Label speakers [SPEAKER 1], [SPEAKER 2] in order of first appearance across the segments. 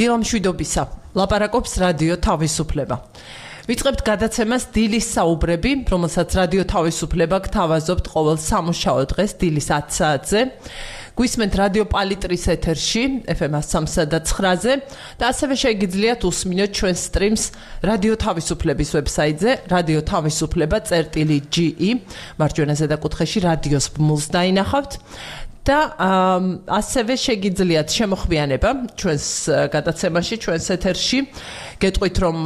[SPEAKER 1] დილამ შვიდობისა. ლაპარაკობს რადიო თავისუფლება. ვიწყებთ გადაცემას დილის საუბრები, რომელსაც რადიო თავისუფლება გთავაზობთ ყოველ სამუშაო დღეს დილის 10 საათზე. გვისმენთ რადიო პალიტრის ეთერში FM 103.9-ზე და ასევე შეგიძლიათ უსმინოთ ჩვენ სტრიმს რადიო თავისუფლების ვებსაიტზე radio-tavisupleba.ge მარჯვენა ზედაკუთხეში რადიოს ბმულს დაინახავთ. და ასევე შეგიძლიათ შემოხვიანება ჩვენს გადაცემაში, ჩვენს ეთერში. გეტყვით, რომ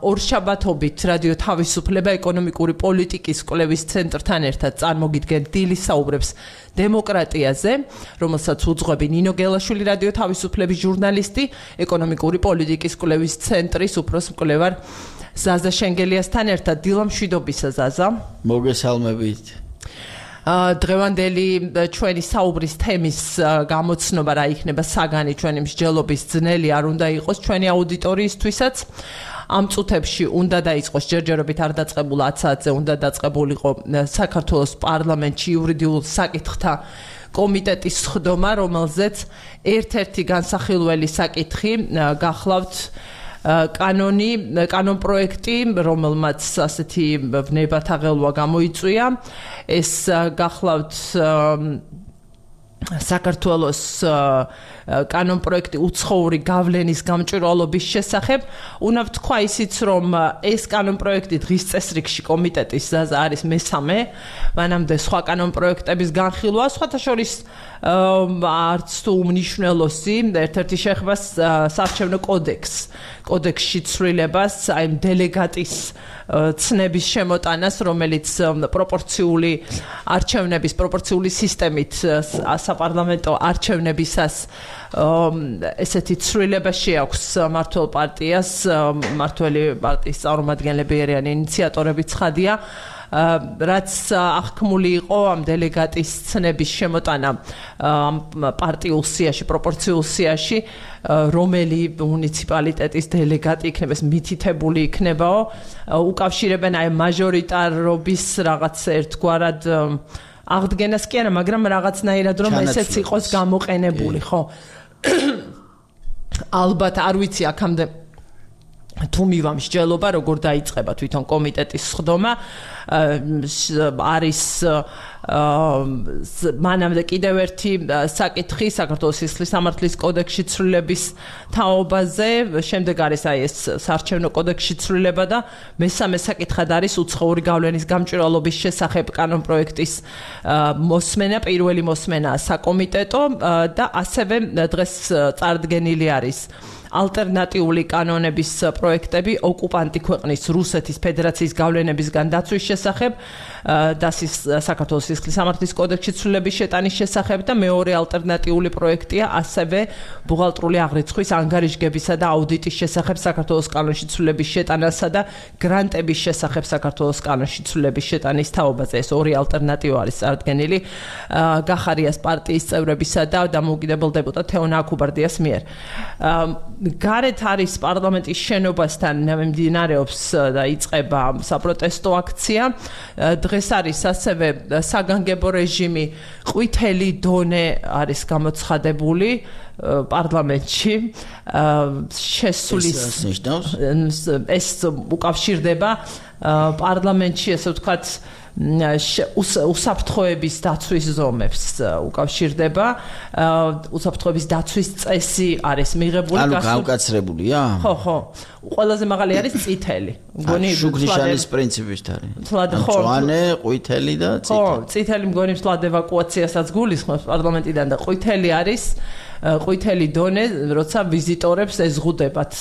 [SPEAKER 1] ორშაბათობით რადიო თავისუფლება ეკონომიკური პოლიტიკის კვლევის ცენტრთან ერთად წარმოგიდგენთ დილის საუბრებს დემოკრატიაზე, რომელსაც უძღვები ნინო გელაშვილი რადიო თავისუფლების ჟურნალისტი, ეკონომიკური პოლიტიკის კვლევის ცენტრის უფროს მკვლევარ ზაზა შენგელიასთან ერთად. დილამ შვიდობისა, ზაზა.
[SPEAKER 2] მოგესალმებით.
[SPEAKER 1] დღევანდელი ჩვენი საუბრის თემის გამოცნობა რა იქნება საგანი ჩვენი მსჯელობის ძნელი არ უნდა იყოს ჩვენი აუდიტორიისთვისაც. ამ წუთებში უნდა დაიწყოს ჯერჯერობით არ დაწყებულ 10 საათზე უნდა დაწყებულიყო საქართველოს პარლამენტში იურიდიულ საკითხთა კომიტეტის სხდომა, რომელზეც ერთ-ერთი განსახილველი საკითხი გახლავთ კანონ პროექტი, რომელმაც ასეთი ვნებათაღელვა გამოიწვია. ეს გახლავთ საქართველოს კანონ პროექტი უცხოური გავლენის გამჭვირვალობის შესახებ. უნდა ვთქვა ისიც, რომ ეს კანონ პროექტი დღის წესრიგში კომიტეტის არის მესამე, მანამდე სხვა კანონ პროექტების განხილვა, სხვათა შორის არც თუ უმნიშვნელოსი, ერთ-ერთი შეხება საარჩევნო კოდექსში ცვლილებას, აი დელეგატის ცნების შემოტანას, რომელიც პროპორციული სისტემით საპარლამენტო არჩევნებისას ესეთი ცვლილება შეაქვს მმართველ პარტიას, მმართველი პარტიის წარმომადგენლები არიან ინიციატორები ცხადია. რაც აღქმული იყო ამ დელეგატის ცნების შემოტანა პარტიულ სიაში, პროპორციულ სიაში, რომელი მუნიციპალიტეტის დელეგატი იქნება, ეს მითითებული იქნებაო, უკავშირებენ აი მაჟორიტარობის რაღაც ერთგვარად აღდგენას კი არა, მაგრამ რაღაცნაირად რომ ესეც იყოს გამოყენებული, ხო? ალბათ არ ვიცი აქამდე თუ მივა მსჯელობა, როგორ დაიწყება თვითონ კომიტეტის სხდომა, არის მანამდე კიდევ ერთი საკითხი საქართველოს სისხლის სამართლის კოდექსში ცვლილების თაობაზე, შემდეგ არის აი ეს საარჩევნო კოდექსში ცვლილება და მესამე საკითხად არის უცხოური გავლენის გამჭვირვალობის შესახებ კანონ პროექტის მოსმენა, პირველი მოსმენა საკომიტეტო და ასევე დღეს წარდგენილი არის ალტერნატიული კანონების პროექტები ოკუპანტი ქვეყნის რუსეთის ფედერაციის გავლენებისგან დაცვის შესახებ და საქართველოს სისხლის სამართლის კოდექსში ცვლილების შეტანის შესახებ და მეორე ალტერნატიული პროექტია ასევე ბუღალტრული აღრიცხვის ანგარიშგებისა და აუდიტის შესახებ საქართველოს კანონში ცვლილების შეტანასა და გრანტების შესახებ საქართველოს კანონში ცვლილების შეტანის თაობაზე. ეს ორი ალტერნატივა არის წარდგენილი გახარიას პარტიის წევრებისა და დამოუკიდებელ დეპუტატ თეონა აქუბარდიას მიერ. გარეთ არის პარლამენტის შენობასთან მიმდინარეობს და იწყება საპროტესტო აქცია. დღეს არის ასევე საგანგებო რეჟიმი, ყვითელი დონე არის გამოცხადებული პარლამენტში. შესulis ეს უკავშირდება პარლამენტში, ესე ვთქვათ, უსაფრთხოების დაცვის ზომებს უკავშირდება. უსაფრთხოების დაცვის წესი არის მიღებული,
[SPEAKER 2] ანუ გავკაცრებულია?
[SPEAKER 1] ხო. ყველაზე მაღალი არის წითელი. მგონი
[SPEAKER 2] შუგნიშანის პრინციპით არის. მწვანე, ყვითელი და წითელი.
[SPEAKER 1] ხო, წითელი მგონი მსვლად ევაკუაციასაც გულისხმობს პარლამენტიდან და ყვითელი არის ყვითელი დონე, როცა ვიზიტორებს ეზღუდებათ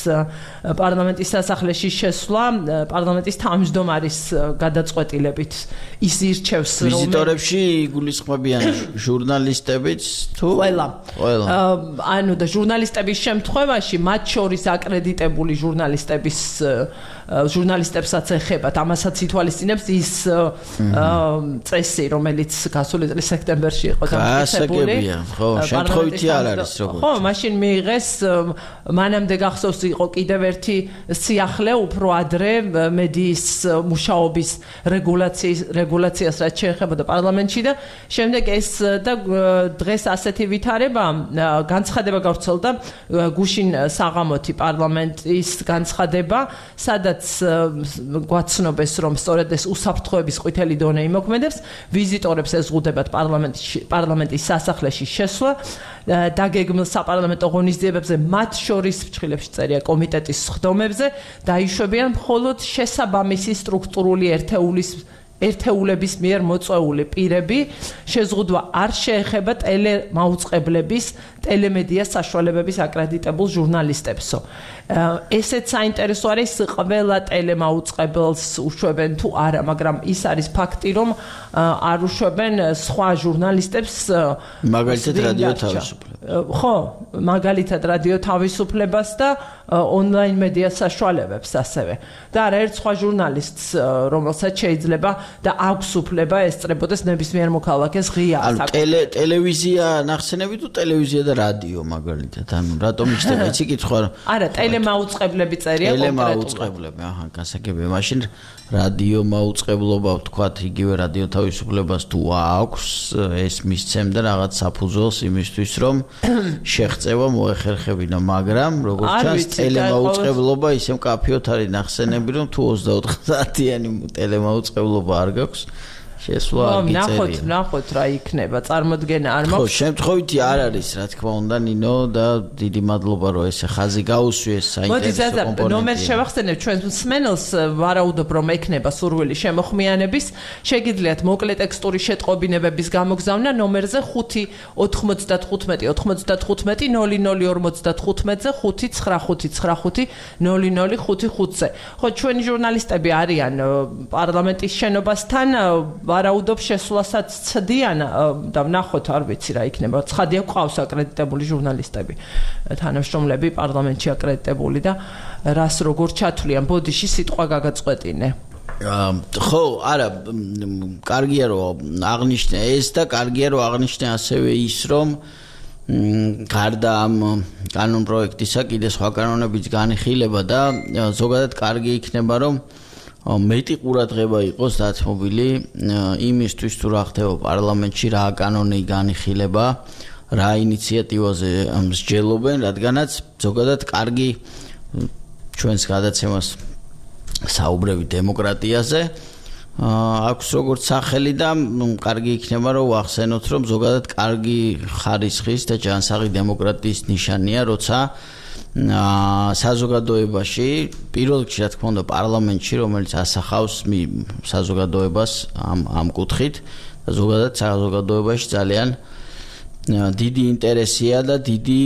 [SPEAKER 1] პარლამენტის სასახლეში შესვლა, პარლამენტის თავმჯდომარის გადაწყვეტილებით ის ირჩევს
[SPEAKER 2] ვიზიტორებში იგულისხმებიან ჟურნალისტებიც თუ
[SPEAKER 1] ყველა. ანუ და ჟურნალისტების შემთხვევაში მათ შორის აკრედიტებული ჟურნალისტებსაც ეხებათ, ამასაც ითვალისწინებს ის წესი, რომელიც გასული წლის სექტემბერში იყო დამტკიცებული.
[SPEAKER 2] ხო, შემთხვევითი არ არის.
[SPEAKER 1] ხო, მაშინ მიიღეს მანამდე გახსოვს იყო კიდევ ერთი სიახლე უფრო ადრე მედიის მუშაობის რეგულაციას რაც შეეხებოდა პარლამენტში და შემდეგ ეს და დღეს ასეთი ვითარება განცხადება გავრცელდა გუშინ საღამოთი პარლამენტის განცხადება სადაც გვაცნობეს რომ სწორედ ეს უსაფრთხოების ყვითელი დონე იმოქმედებს ვიზიტორებს ეზღუდებათ პარლამენტის სასახლეში შესვლა დაგეგმილ საპარლამენტო ღონისძიებებზე მათ შორის ფრჩხილებში წერია კომიტეტის სხდომებზე დაიშვებიან მხოლოდ შესაბამისი სტრუქტურული ერთეულების მიერ მოწვეული პირები შეზღუდვა არ შეეხება ტელემაუწყებლების ტელემედია საშუალებების აკრედიტებულ ჟურნალისტებსო ესეც საინტერესო არის ყველა ტელემაუწყებელს უშვებენ თუ არა მაგრამ ის არის ფაქტი რომ არ უშვებენ სხვა ჟურნალისტებს
[SPEAKER 2] მაგალითად რადიო თავისუფლებას
[SPEAKER 1] ხო მაგალითად რადიო თავისუფლებას და ონლაინ მედია საშუალებებს ასევე და არაერთ სხვა ჟურნალისტს რომელსაც შეიძლება და აქვს უფლება ესწრებოდეს ნებისმიერ მოქალაქეს ღია
[SPEAKER 2] ტელევიზია ნახსენები თუ ტელევიზია და რადიო მაგალითად ანუ რატომ იშდება იცი კითხვა
[SPEAKER 1] არა ტელემაუწყებლები წერია
[SPEAKER 2] ტელემაუწყებლები აჰა გასაგებია მაშინ რადიო მაუწყებლობა ვთქვათ იგივე რადიო თავისუფლებას თუ აქვს ეს მისცემდა რაღაც საფუძველს იმისთვის რომ შეღწევა მოეხერხებინა მაგრამ როგორც ჩანს ტელემაუწყებლობა ისე მკაფიოდ არის ნახსენები რომ თუ 24 საათიანი ტელემაუწყებლობა არ გაქვს შესვლა არ გიწერია.
[SPEAKER 1] ნახოთ რა იქნება, წარმოდგენა არ მაქვს.
[SPEAKER 2] ხო, შემთხვევითი არ არის, რა თქმა უნდა, ნინო და დიდი მადლობა რომ ესე ხაზი გაუსვიეს საინტერესო კომპონენტი.
[SPEAKER 1] ნომერს შევახსენებ ჩვენ მსმენელს, ვარაუდობ რომ ექნება სურვილი შემოხმიანების, შეგიძლიათ მოკლე ტექსტური შეტყობინებების გამოგზავნა ნომერზე 595 95 0055-ზე 595950055-ზე. ხო, ჩვენი ჟურნალისტები არიან პარლამენტის შენობასთან ვარაუდობ შესვლასაც ცდიან და ვნახოთ არ ვიცი რა იქნება ცხადია ყავს აკრედიტებული ჟურნალისტები თანამშრომლები პარლამენტში აკრედიტებული და რას როგორ ჩათვლიან ბოდიში სიტყვა გაგაწყვეტინე
[SPEAKER 2] ხო არა კარგია რომ აღნიშნე ეს და კარგია რომ აღნიშნე ასევე ის რომ გარდა ამ კანონ პროექტისა კიდე სხვა კანონებიც განიხილება და ზოგადად კარგი იქნება რომ მეტი ყურადღება იყოს დათმობილი იმისთვის თუ რა ხდება პარლამენტში რა კანონი განიხილება რა ინიციატივაზე მსჯელობენ რადგანაც ზოგადად კარგი ჩვენს გადაცემას საუბრები დემოკრატიაზე აქვს როგორც სახელი და კარგი იქნება რომ ვახსენოთ რომ ზოგადად კარგი ხარისხის და ჯანსაღი დემოკრატიის ნიშანია როცა საზოგადოებაში პირველ რიგში რა თქმა უნდა პარლამენტში რომელიც ასახავს საზოგადოებას ამ კუთხით და ზოგადად საზოგადოებაში ძალიან დიდი ინტერესია და დიდი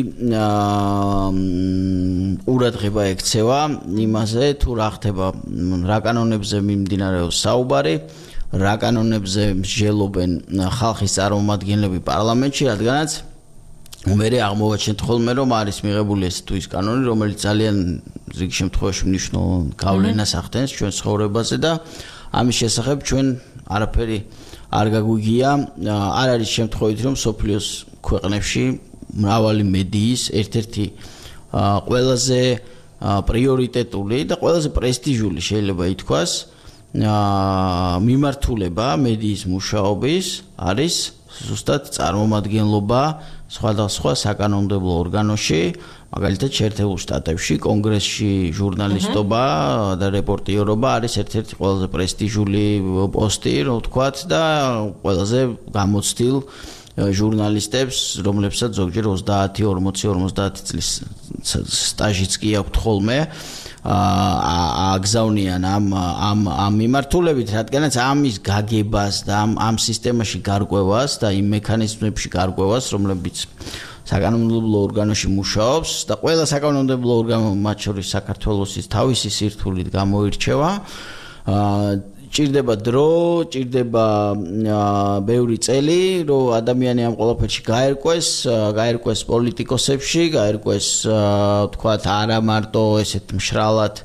[SPEAKER 2] ყურადღება ექცევა იმაზე თუ რა ხდება რა კანონებზე მიმდინარეობს საუბარი რა კანონებზე მსჯელობენ ხალხის წარმომადგენლები პარლამენტში რადგანაც მერე აღმოვაჩენთ ხოლმე რომ არის მიღებული ეს თუ ის კანონი რომელიც ძალიან ზოგ შემთხვევაში მნიშვნელოვან გავლენას ახდენს ჩვენ ცხოვრებაზე და ამის შესახებ ჩვენ არაფერი არ გაგვიგია არ არის შემთხვევით რომ სოფლიოს ქვეყნებში მრავალი მედიის ერთ-ერთი ყველაზე პრიორიტეტული და ყველაზე პრესტიჟული შეიძლება ითქვას მიმართულება მედიის მუშაობის არის ზუსტად წარმომადგენლობა სხვადასხვა საკანონმდებლო ორგანოში, მაგალითად შეერთებულ შტატებში, კონგრესში ჟურნალისტობა და რეპორტიორობა არის ერთ-ერთი ყველაზე პრესტიჟული პოსტი, რო ვთქვათ და ყველაზე გამოცდილ ჟურნალისტებს, რომლებსაც ზოგჯერ 30, 40, 50 წლის სტაჟიც კი აქვთ ხოლმე. აგზავნიან ამ მიმართულებით, რადგანაც ამის გაგებას და ამ სისტემაში გარკვევას და იმ მექანიზმებში გარკვევას, რომლებიც საკანონმდებლო ორგანოში მუშაობს და ყველა საკანონმდებლო ორგანო მათ შორის საქართველოსის თავისი სირთულით გამოირჩევა. ჭირდება დრო, ჭირდება ბევრი წელი, რომ ადამიანი ამ ყველაფერში გაერკვეს პოლიტიკოსებში, გაერკვეს, თქვათ, არა მარტო ესეთ მშრალად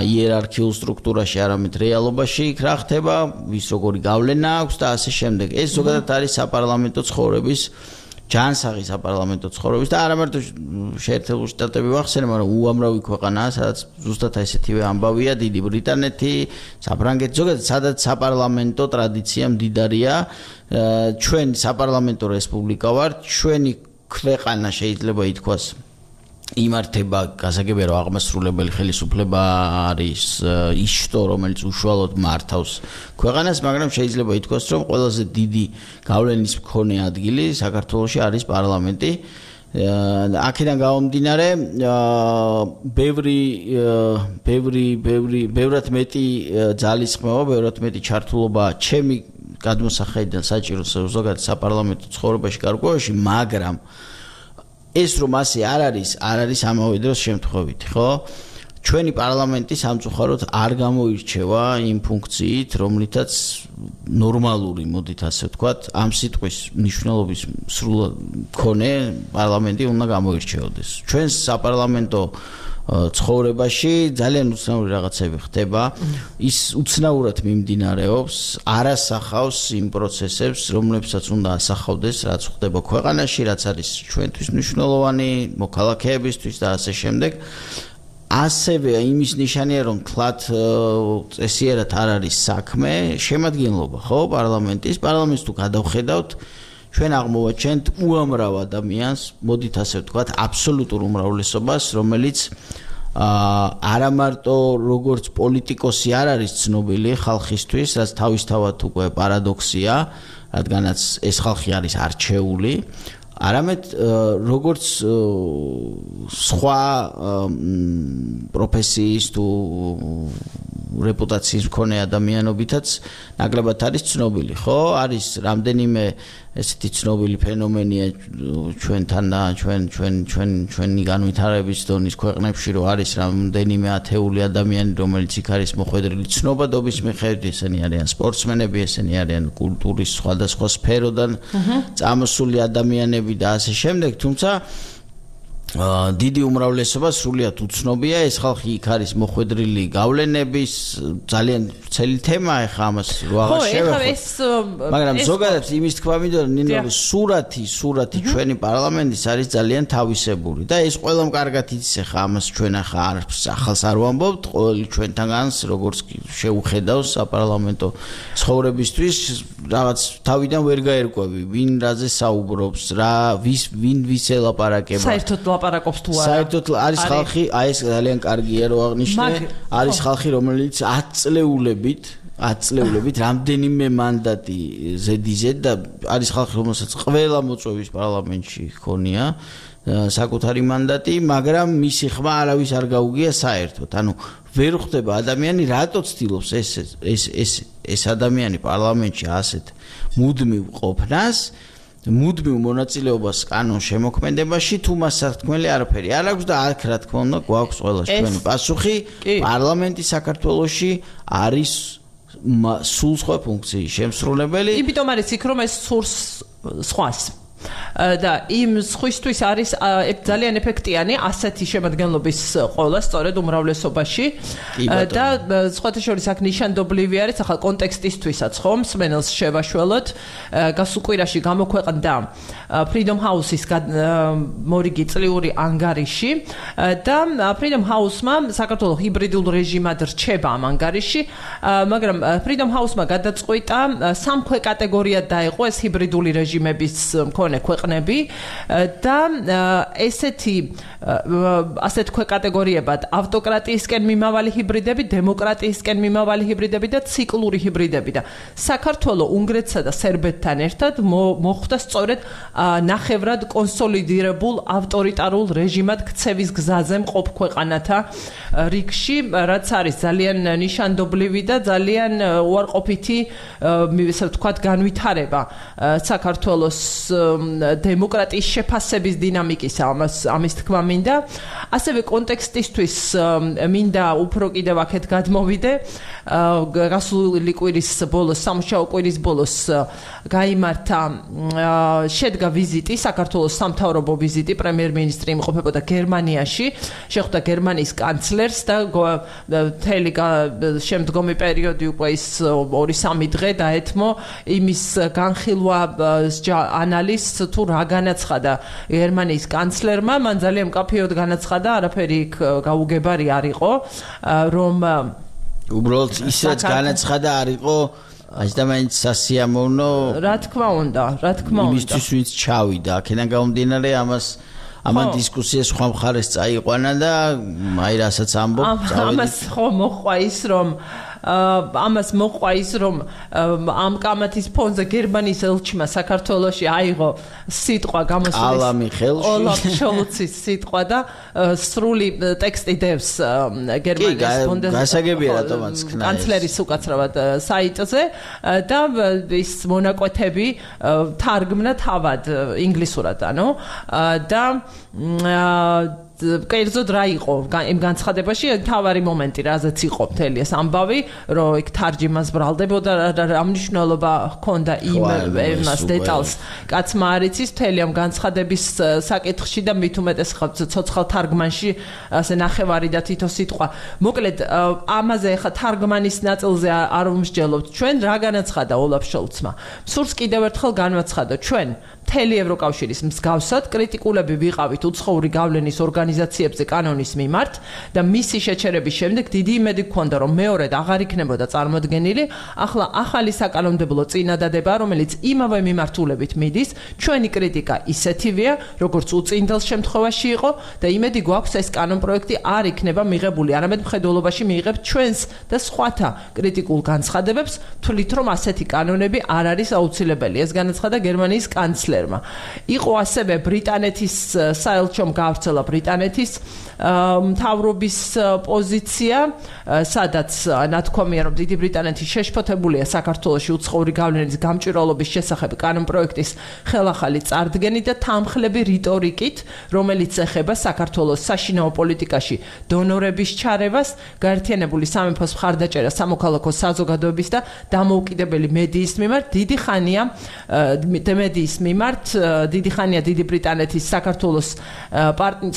[SPEAKER 2] იერარქიულ სტრუქტურაში, არამედ რეალობაში იქ რა ხდება, ვის როგორი გავლენა აქვს და ასე შემდეგ. ეს ზოგადად არის საპარლამენტო ცხოვრების ჯანსაღი საპარლამენტო ცხოვრების და არა მარტო შეერთებული შტატები ვახსენე, მაგრამ უამრავი ქვეყანაა, სადაც ზუსტად ესეთივე ამბავია, დიდი ბრიტანეთი, საფრანგეთი, ზოგადად სადაც საპარლამენტო ტრადიცია მდიდარია, ჩვენ საპარლამენტო რესპუბლიკა ვართ, ჩვენი ქვეყანა შეიძლება ითქვას იმართება გასაგებია რომ აღმასრულებელი ხელისუფლება არის ის შტო რომელიც უშუალოდ მართავს ქვეყანას, მაგრამ შეიძლება ითქვას რომ ყველაზე დიდი გავლენის მქონე ადგილი საქართველოში არის პარლამენტი. აქედან გამომდინარე ბევრად მეტი ძალისხმევა, ბევრად მეტი ჩართულობა ჩემი გადმოსახედიდან საჭირო ზოგადად საპარლამენტო ცხოვრებაში გარკვევაში, მაგრამ ეს რომ ასე არ არის ამავე დროს შემთხვევით, ხო? ჩვენი პარლამენტი სამწუხაროდ არ გამოირჩევა იმ ფუნქციით, რომლითაც ნორმალური, მოდით ასე ვთქვათ, ამ სიტყვის მნიშვნელობის სრულად მქონე პარლამენტი უნდა გამოირჩეოდეს. ჩვენ საპარლამენტო ცხოვრებაში ძალიან უცნაური რაღაცები ხდება, ის უცნაურად მიმდინარეობს, არ ასახავს იმ პროცესებს, რომლებსაც უნდა ასახავდეს, რაც ხდება ქვეყანაში, რაც არის ჩვენთვის მნიშვნელოვანი, მოქალაქეებისთვის და ასე შემდეგ. ასევე იმის ნიშანია, რომ თლათ წესიერად არ არის საქმე, შემადგენლობა, ხო, პარლამენტის თუ გადავხედავთ, ჩვენ აღმოვაჩენთ უამრავ ადამიანს, მოდით ასე ვთქვათ, აბსოლუტურ უმრავლესობას, რომელიც არა მარტო როგორც პოლიტიკოსი არ არის ცნობილი ხალხისთვის, რაც თავისთავად უკვე პარადოქსია, რადგანაც ეს ხალხი არის არჩეული, არამედ როგორც სხვა პროფესიის თუ რეპუტაციის მქონე ადამიანობითაც ნაკლებად არის ცნობილი, ხო? არის რამდენიმე ესეთი ცნობილი ფენომენია ჩვენთან და ჩვენი განვითარების დონის ქვეყნებში, რომ არის რამდენიმე ათეული ადამიანი, რომელიც იქ არის მოხვედრილი ცნობადობის მიხედვით, ესენი არიან სპორტსმენები, ესენი არიან კულტურის სხვადასხვა სფეროდან წამოსული ადამიანები და ასე შემდეგ, თუმცა დიდი უმრავლესობა სრულიად უცნობია, ეს ხალხი იქ არის მოხვედრილი გავლენების ძალიან ცელი თემაა ახლა ამას რო აღარ შევეხო. მაგრამ ზოგადად იმის თქვა მინდა ნინო სურათი ჩვენი პარლამენტის არის ძალიან თავისებური და ეს ყველამ კარგად იცის ახლა ამას ჩვენ ახლა ახალს არ ვამბობთ, ყოველი ჩვენთანგანს როგორც შეუხედავს საპარლამენტო ცხოვრებისთვის რაღაც თავიდან ვერ გაერკვევი, ვინ რაზე საუბრობს, ვინ ვის ელაპარაკება.
[SPEAKER 1] საერთოდ ლაპარაკობს თუ არა.
[SPEAKER 2] საერთოდ არის ხალხი, აი ეს ძალიან კარგია რომ აღნიშნე, არის ხალხი რომელიც 10 წლეულებით რამდენიმე მანდატი ზედიზედ და არის ხალხი რომელსაც ყველა მოწვევის პარლამენტში ჰქონია საკუთარი მანდატი, მაგრამ მისი ხმა არავის არ გაუგია საერთოდ. ანუ ვერ ხვდება ადამიანი, რატო ცდილობს ეს ადამიანი პარლამენტში ასეთ მუდმივ ყოფნას, მუდმივ მონაწილეობას კანონ შემოქმედებაში, თუ მას სათქმელი არაფერი არ აქვს და აქ რა თქმა უნდა გვაქვს ყველას ჩვენი პასუხი, პარლამენტი საქართველოში არის სულ სხვა ფუნქციის შემსრულებელი.
[SPEAKER 1] იმიტომ არის იქ რომ ეს სურს სხვას და იმ სხვისთვის არის ძალიან ეფექტიანი ასეთი შემადგენლობის ყოლა სწორედ უმრავლესობაში და სხვათა შორის აქ ნიშანდობლივი არის ახლა კონტექსტისთვისაც ხომ მსმენელს შევაშველოთ გასულ კვირაში გამოქვეყნდა Freedom House-ის მორიგი წლიური ანგარიში და Freedom House-მა საქართველოს ჰიბრიდულ რეჟიმად რჩება ამ ანგარიში, მაგრამ Freedom House-მა გადაწყვიტა სამქვე კატეგორიად დაეყო ეს ჰიბრიდული რეჟიმების მქონე ქვეყნები და ასეთ ქვე კატეგორიებად ავტოკრატიისკენ მიმავალი ჰიბრიდები, დემოკრატიისკენ მიმავალი ჰიბრიდები და ციკლური ჰიბრიდები და საქართველოს უნგრეთსა და სერბეთთან ერთად მოხვდა სწორედ ნახევრად კონსოლიდირებულ ავტორიტარულ რეჟიმად ქცევის გზაზე მყოფ ქვეყანათა რიგში, რაც არის ძალიან ნიშანდობლივი და ძალიან უარყოფითი, ესე ვთქვათ, განვითარება საქართველოს დემოკრატიის შეფასების დინამიკის ამის თქმა მინდა. ასევე კონტექსტისთვის მინდა უფრო კიდევ აქეთ გადმოვიდე. გასული კვირის ბოლოს, სამუშაო კვირის ბოლოს გაიმართა შედგა ვიზიტი, საქართველოს სამთავრობო ვიზიტი, პრემიერ-მინისტრი იმყოფებოდა გერმანიაში, შეხვდა გერმანიის კანცლერს და მთელი შემდგომი პერიოდი უკვე ის 2-3 დღე დაეთმო იმის განხილვა ანალიზს თუ რა განაცხადა გერმანიის კანცლერმა, მან ძალიან მკაფიოდ განაცხადა, არაფერი იქ გაუგებარი არ იყო, რომ
[SPEAKER 2] უბრალოდ ისეთ განაცხადა არ იყო აჯდამაინც სასიამოვნო
[SPEAKER 1] რა თქმა უნდა
[SPEAKER 2] იმისთვის ვინც ჩავიდა აქედან გამომდინარე ამან დისკუსიას სხვა მხარეს წაიყვანა და აი რასაც ამბობ
[SPEAKER 1] ამას ხო მოხვა ის რომ ამ კამათის ფონზე გერმანიის ელჩმა საქართველოში აიღო სიტყვა გამოსულის ოლაფ შოლცის სიტყვა და სრული ტექსტი დევს გერმანიის ფონდზე
[SPEAKER 2] გასაგებია რატომაც ქნა
[SPEAKER 1] კანცლერის უკაცრავად საიტზე და ის მონაკვეთები თარგმნა თავად ინგლისურად და კერძოდ რა იყო იმ განცხადებაში თავარი მომენტი რაზეც იყო მთელი ეს ამბავი რომ იქ თარჯიმას ბრალდებოდა რა მნიშვნელობა ჰქონდა იმას დეტალს კაცმა არ იცის მთელი ამ განცხადების საკითხში და მით უმეტეს ცოცხალ თარგმანში ასე ნახევარი და თითო სიტყვა მოკლედ ამაზე ხა თარგმანის ნაწილზე არ ვმსჯელობთ ჩვენ რა განაცხადა ოლაფ შოლცმა სურს კიდევ ერთხელ განვაცხადო ჩვენ მთელი ევროკავშირის მსგავსად კრიტიკულები ვიყავით უცხოური გავლენის ორგანიზაციებზე კანონის მიმართ და მისი შეჩერების შემდეგ დიდი იმედი გქონდა რომ მეორედ აღარ იქნებოდა წარმოდგენილი ახლა ახალი საკანონმდებლო წინადადება რომელიც იმავე მიმართულებით მიდის ჩვენი კრიტიკა ისეთივეა როგორც უწინდელ შემთხვევაში იყო და იმედი გვაქვს ეს კანონპროექტი არ იქნება მიღებული არამედ მხედველობაში მიიღებთ ჩვენს და სხვათა კრიტიკულ განცხადებებს თვლით რომ ასეთი კანონები არ არის აუცილებელი ეს განაცხადა გერმანიის კანცლერმა იყო ასევე ბრიტანეთის საელჩომ გავრცელა ბრიტანეთის მთავრობის პოზიცია სადაც ნათქვამია რომ დიდი ბრიტანეთი შეშფოთებულია საქართველოში უცხოური გავლენის გამჭვირვალობის შესახებ კანონპროექტის ხელახალი წარდგენით და თანმხლები რიტორიკით რომელიც ეხება საქართველოს საშინაო პოლიტიკაში დონორების ჩარევას გაერთიანებული სამეფოს მხარდაჭერა სამოქალაქო საზოგადოების და დამოუკიდებელი მედიის მიმართ დიდი ხანია დიდი ბრიტანეთის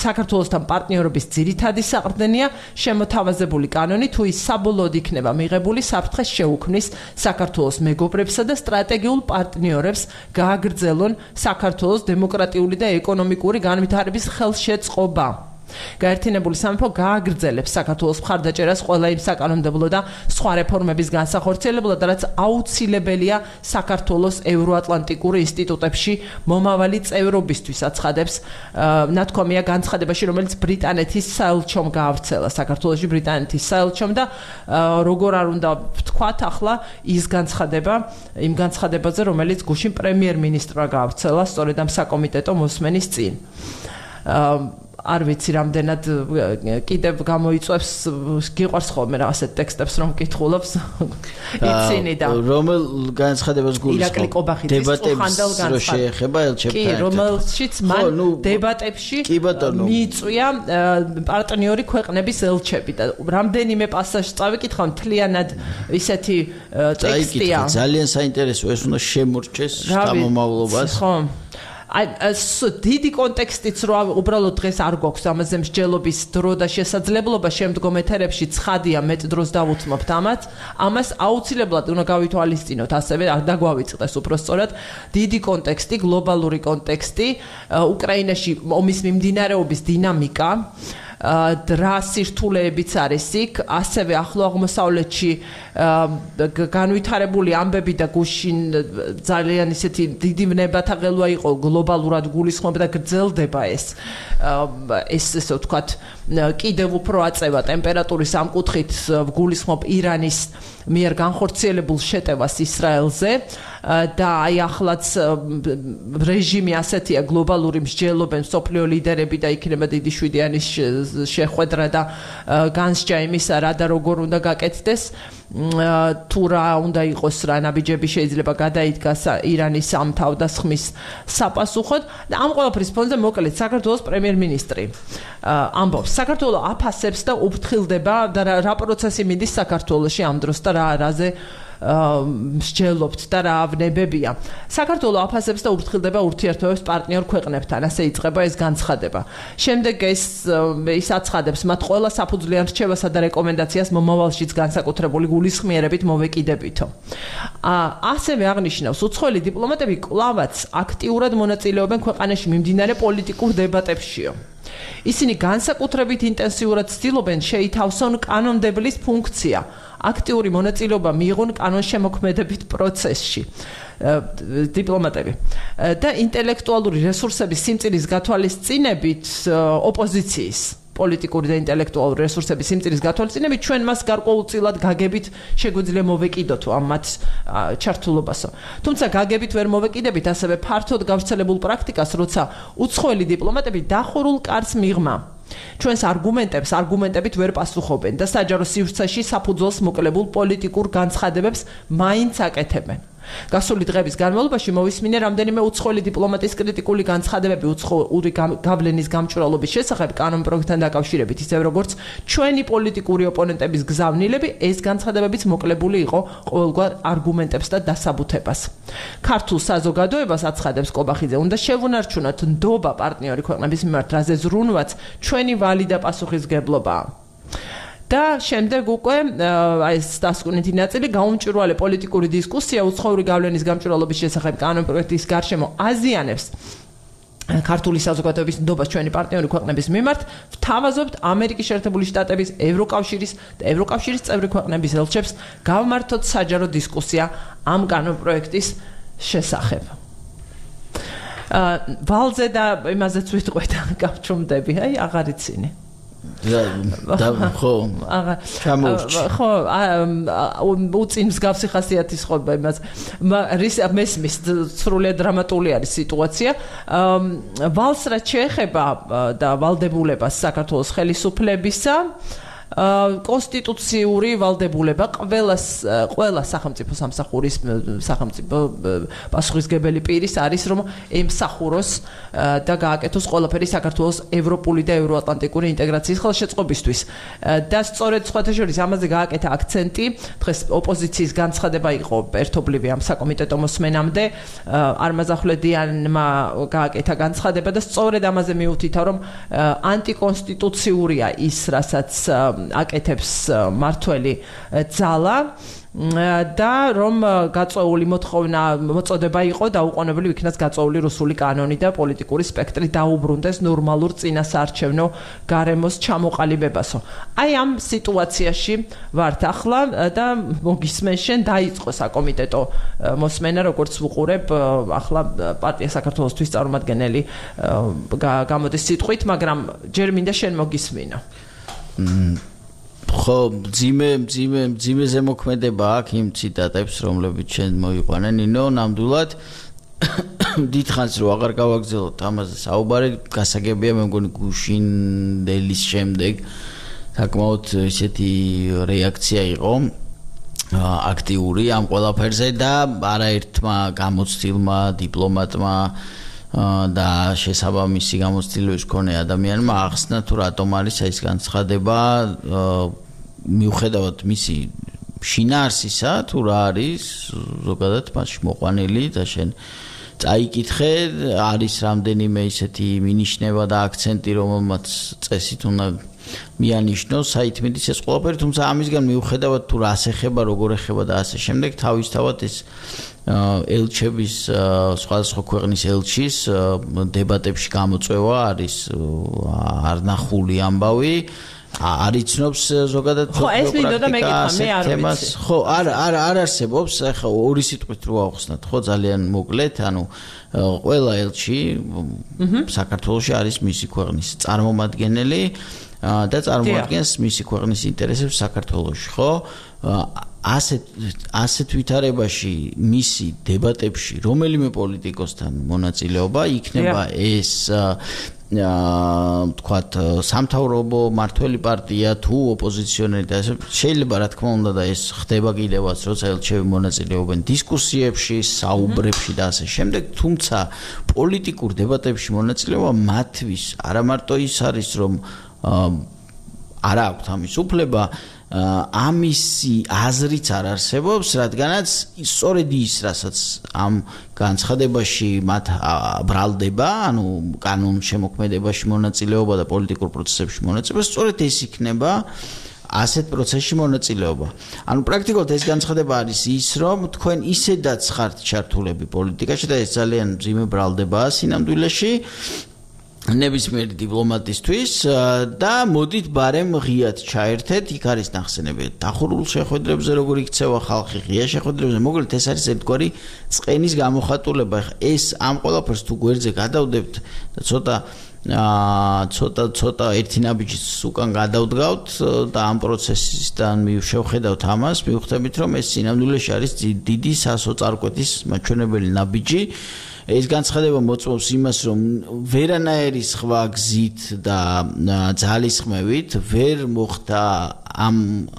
[SPEAKER 1] საქართველოსთან პარტნიორობის ძირითადი საყრდენია შემოთავაზებული კანონი თუ ის საბოლოოდ იქნება მიღებული საფრთხეს შეუქმნის საქართველოს მეგობრებსა და სტრატეგიულ პარტნიორებს გააგრძელონ საქართველოს დემოკრატიული და ეკონომიკური განვითარების ხელშეწყობა გაერთიანებული სამეფო გააგრძელებს საქართველოს მხარდაჭერას ყველა იმ საკანონმდებლო და სხვა რეფორმების განსახორციელებლად, რაც აუცილებელია საქართველოს ევროატლანტიკურ ინსტიტუტებში მომავალი წევრობისთვის აცხადებს ნათქვამია განცხადებაში, რომელიც ბრიტანეთის საელჩომ გაავრცელა საქართველოში ბრიტანეთის საელჩომ და როგორ არ უნდა ვთქვათ ახლა ის განცხადება იმ განცხადებაზე, რომელიც გუშინ პრემიერ-მინისტრმა გაავრცელა სწორედ ამ საკომიტეტო მოსმენის წინ. არ ვიცი რამდენად კიდევ გამოიწვევს გიყვარს ხოლმე რა ასეთ ტექსტებს რომ კითხულობს იცინი და
[SPEAKER 2] რომელ განცხადებას გულისხმობ დებატებს რო შეეხება ელჩებთან
[SPEAKER 1] კი რომელშიც მან დებატებში მიიწვია პარტნიორი ქვეყნების ელჩები და რამდენიმე პასაჟს წავიკითხავ მთლიანად ისეთი ტექსტია
[SPEAKER 2] ძალიან საინტერესოა ეს უნდა შემორჩეს შთამომავლობას
[SPEAKER 1] ხო დიდი კონტექსტიც რო უბრალოდ დღეს არ გვაქვს ამაზე მსჯელობის დრო და შესაძლებლობა შემდგომ ეთერებში ცხადია მეტ დროს დავუთმობთ ამას აუცილებლად უნდა გავითვალისწინოთ ასევე და გვავიწყდეს უფრო სწორად დიდი კონტექსტი გლობალური კონტექსტი უკრაინაში ომის მიმდინარეობის დინამიკა რა სირთულეებიც არის იქ, ასევე ახლო აღმოსავლეთში განვითარებული ამბები და გუშინ ძალიან ისეთი დიდი ვნებათაღელვა იყო გლობალურად გულისხმობდა და გრძელდება ეს ესე ვთქვათ კიდევ უფრო აწევა ტემპერატურის ამ კუთხით გულისხმობ ირანის მიერ განხორციელებულ შეტევას ისრაელზე და აი ახლაც რეჟიმი ასეთია გლობალური მსჯელობენ სოფლიო ლიდერები და იქნება დიდი შვიდიანის შეხვედრა და განსჯა იმისა რა და როგორ უნდა გაკეთდეს თუ რა უნდა იყოს რა ნაბიჯები შეიძლება გადაიდგას ირანის ამ თავდასხმის საპასუხოდ და ამ ყველაფრის ფონზე მოკლედ საქართველოს პრემიერ-მინისტრი ამბობს საქართველოს აფასებს და უფრთხილდება და რა პროცესი მიდის საქართველოში ამ დროს და რაზე მსჯელობთ და რა ავნებებია. საქართველოს აფასებს და ურთქილდება ურთიერთობებს პარტნიორ ქვეყნებთან, ასე იწყება ეს განცხადება. შემდეგ ის აცხადებს, მათ ყველა საფუძვლიან რჩევასა და რეკომენდაციას მომავალშიც განსაკუთრებული გულისხმიერებით მოვეკიდებითო. ასევე აღნიშნავს, უცხოელი დიპლომატები კვლავაც აქტიურად მონაწილეობენ ქვეყანაში მიმდინარე პოლიტიკურ დებატებშიო. ისინი განსაკუთრებით ინტენსიურად ცდილობენ შეითავსონ კანონმდებლის ფუნქცია, აქტიური მონაწილეობა მიიღონ კანონშემოქმედებით პროცესში. დიპლომატები და ინტელექტუალური რესურსების სიმწირის გათვალისწინებით ოპოზიციის პოლიტიკური და ინტელექტუალური რესურსების სიმწირის გათვალისწინებით ჩვენ მას გარკვეულწილად გაგებით შეგვიძლია მოვეკიდოთო ამ მათ ჩართულობასო. თუმცა გაგებით ვერ მოვეკიდებით ასევე ფართოდ გავრცელებულ პრაქტიკას, როცა უცხოელი დიპლომატები დახურულ კარს მიღმა ჩვენს არგუმენტებით ვერ პასუხობენ და საჯარო სივრცეში საფუძველს მოკლებულ პოლიტიკურ განცხადებებს მაინც აკეთებენ. გასული დღების განმავლობაში მოვისმინე რამდენიმე უცხოელი დიპლომატის კრიტიკული განცხადებები უცხოური გავლენის გამჭვირვალობის შესახებ კანონპროექტთან დაკავშირებით, ისევ როგორც ჩვენი პოლიტიკური ოპონენტების გზავნილები, ეს განცხადებებიც მოკლებული იყო ყოველგვარ არგუმენტებს და დასაბუთებას. ქართულ საზოგადოებას აცხადებს კობახიძე, უნდა შევუნარჩუნოთ ნდობა პარტნიორი ქვეყნების მიმართ, რაზე ზრუნვაც ჩვენი ვალი და პასუხისგებლობაა. და შემდეგ უკვე ეს დასკვნითი ნაწილი გაუმჭვირვალე პოლიტიკური დისკუსია უცხოური გავლენის გამჭვირვალობის შესახებ კანონპროექტის გარშემო აზიანებს ქართული საზოგადოების ნდობას ჩვენი პარტნიორი ქვეყნების მიმართ, ვთავაზობთ ამერიკის შეერთებული შტატების, ევროკავშირის და ევროკავშირის წევრი ქვეყნების ელჩებს გავმართოთ საჯარო დისკუსია ამ კანონპროექტის შესახებ. ვალზე და იმაზეც ვიტყვე და გავჩუმდები, აი აღარ იცინი.
[SPEAKER 2] ხო
[SPEAKER 1] უწინ მსგავსი ხასიათის ხობა იმას მესმის სრულიად დრამატული არის სიტუაცია. ვალს რაც შეეხება და ვალდებულებას საქართველოს ხელისუფლებისა, კონსტიტუციური ვალდებულება ყველა სახელმწიფო სამსახურის სახელმწიფო პასუხისგებელი პირის არის, რომ ემსახუროს და გააკეთოს ყველაფერი საქართველოს ევროპული და ევროატლანტიკური ინტეგრაციის ხელშეწყობისთვის. და სწორედ სხვათა შორის ამაზე გააკეთა აქცენტი დღეს ოპოზიციის განცხადება იყო ერთობლივი ამ საკომიტეტო მოსმენამდე, არმაზახვლედიანმა გააკეთა განცხადება და სწორედ ამაზე მიუთითა, რომ ანტიკონსტიტუციურია ის, რასაც აკეთებს მართველი ძალა და რომ გაწეული მოწოდება იყო დაუყოვნებლივ იქნას გაწეული რუსული კანონი და პოლიტიკური სპექტრი დაუბრუნდეს ნორმალურ წინასაარჩევნო გარემოს ჩამოყალიბებასო. აი ამ სიტუაციაში ვართ ახლა და მოგისმენ შენ დაიწყო საკომიტეტო მოსმენა, როგორც ვუყურებ ახლა პარტია საქართველოსთვის წარმომადგენელი გამოდის სიტყვით, მაგრამ ჯერ მინდა შენ მოგისმინო.
[SPEAKER 2] ხო, ძიმე ზემოქმედება აქვს იმ ციტატებს, რომლებიც შენ მოიყვანე, ნინო, ნამდვილად დიდხანს რო აღარ გავაგზავნოთ ამაზე საუბარი, გასაგებია მე მგონი გუშინდელის შემდეგ საკმაოდ ისეთი რეაქცია იყო აქტიური ამ ყველაფერზე და არაერთმა გამოცდილმა დიპლომატმა და შესაბამისი გამოცდილების მქონე ადამიანმა ახსნა თუ რატომ არის ეს განცხადება მიუხედავად მისი შინაარსისა თუ რა არის ზოგადად მასში მოყვანილი და შენ წაიკითხე არის რამდენიმე ისეთი მინიშნება და აქცენტი რომელმაც წესით უნდა მიანიშნოს საითმედის ეს ყველაფერი თუმცა ამისგან მიუხედავად თუ რას ეხება როგორ ეხება და ასე შემდეგ თავისთავად ეს ელჩების სხვადასხვა ქვეყნის ელჩის დებატებში გამოწვევა არის არნახული ამბავი არიცნობს ზოგადად
[SPEAKER 1] ხო ეს მინდოდა მეკითხა მე არ ვიცი
[SPEAKER 2] ხო არ არსებობს ახლა ორი სიტყვით რო ავხსნათ ხო ძალიან მოკლედ ანუ ყველა ელჩი საქართველოში არის მისი ქვეყნის წარმომადგენელი და წარმოადგენს მისი ქვეყნის ინტერესებს საქართველოში ხო ასეთ ვითარებაში მისი დებატებში რომელიმე პოლიტიკოსთან მონაწილეობა იქნება ეს თქვათ სამთავრობო მართველი პარტია თუ ოპოზიციონერი და შეიძლება რა თქმა უნდა და ეს ხდება კიდევაც როცა ელჩები მონაწილეობენ დისკუსიებში, საუბრებში და ასე შემდეგ, თუმცა პოლიტიკურ დებატებში მონაწილეობა მათთვის არა მარტო ის არის რომ არა აქვთ ამის უფლება ამისი აზრიც არ არსებობს, რადგანაც სწორედ ის, რასაც ამ განცხადებაში მათ ბრალდება, ანუ კანონ შემოქმედებაში მონაწილეობა და პოლიტიკურ პროცესებში მონაწილეობა, სწორედ ეს იქნება ასეთ პროცესში მონაწილეობა. ანუ პრაქტიკულად ეს განცხადება არის ის, რომ თქვენ ისედაც ხართ ჩართულები პოლიტიკაში და ეს ძალიან მძიმე ბრალდებაა სინამდვილეში. ნებისმიერი დიპლომატისთვის და მოდით ბარემ ღიად ჩაერთეთ, იქ არის ნახსენები დახურულ შეხვედრებზე, როგორ იქცევა ხალხი ღია შეხვედრებზე, მოკლედ ეს არის ერთგვარი წყენის გამოხატულება. ეს ამ ყველაფერს თუ გვერდზე გადავდებთ და ცოტა ერთი ნაბიჯის უკან გადავდგავთ და ამ პროცესისთან შევხედავთ ამას, მივხვდებით, რომ ეს სინამდვილეში არის დიდი სასოწარკვეთის მაჩვენებელი ნაბიჯი. ეს განცხადება მოწმობს იმას, რომ ვერანაირი სხვა გზით და ძალისხმევით ვერ მოხდა ამ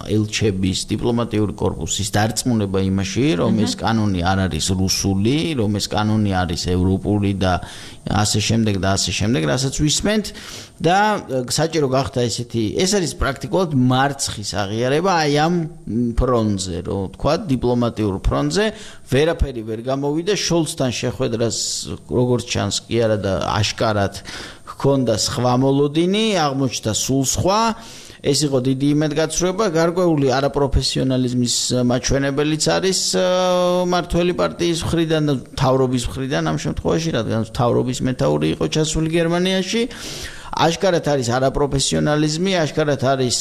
[SPEAKER 2] ელჩების დიპლომატიური კორპუსის დარწმუნება იმაში, რომ ეს კანონი არ არის რუსული, რომ ეს კანონი არის ევროპული და ასე შემდეგ და ასე შემდეგ, რასაც ვისმენთ და საჭირო გახდა ეს არის პრაქტიკულად მარცხის აღიარება აი ამ ფრონტზე, რომ თქვა დიპლომატიურ ფრონტზე ვერაფერი ვერ გამოვიდა შოლცთან შეხვედრას როგორც ჩანს კი არა და აშკარად ჰქონდა სხვა მოლოდინი, აღმოჩნდა სულ სხვა. ეს იყო დიდი იმედგაცრუება, გარკვეული არაპროფესიონალიზმის მაჩვენებელიც არის მართველი პარტიის მხრიდან და მთავრობის მხრიდან ამ შემთხვევაში, რადგან მთავრობის მეთაური იყო ჩასული გერმანიაში. აშკარად არის არაპროფესიონალიზმი, აშკარად არის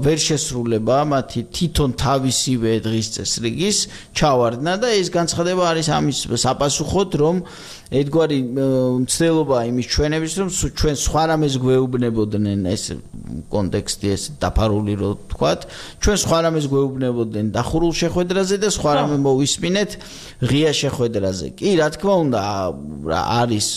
[SPEAKER 2] ვერ შესრულება მათი თვითონ თავისივე დღის წესრიგის ჩავარდნა და ეს განცხადება არის ამის საპასუხოდ, რომ ერთგვარი მცდელობა იმის ჩვენების, რომ ჩვენ სხვა რამეს გვეუბნებოდნენ, ეს კონტექსტი ეს დაფარული რო თქვათ, ჩვენ სხვა რამეს გვეუბნებოდნენ დახურულ შეხვედრაზე და სხვა რამე მოვისმინეთ ღია შეხვედრაზე. კი, რა თქმა უნდა, არის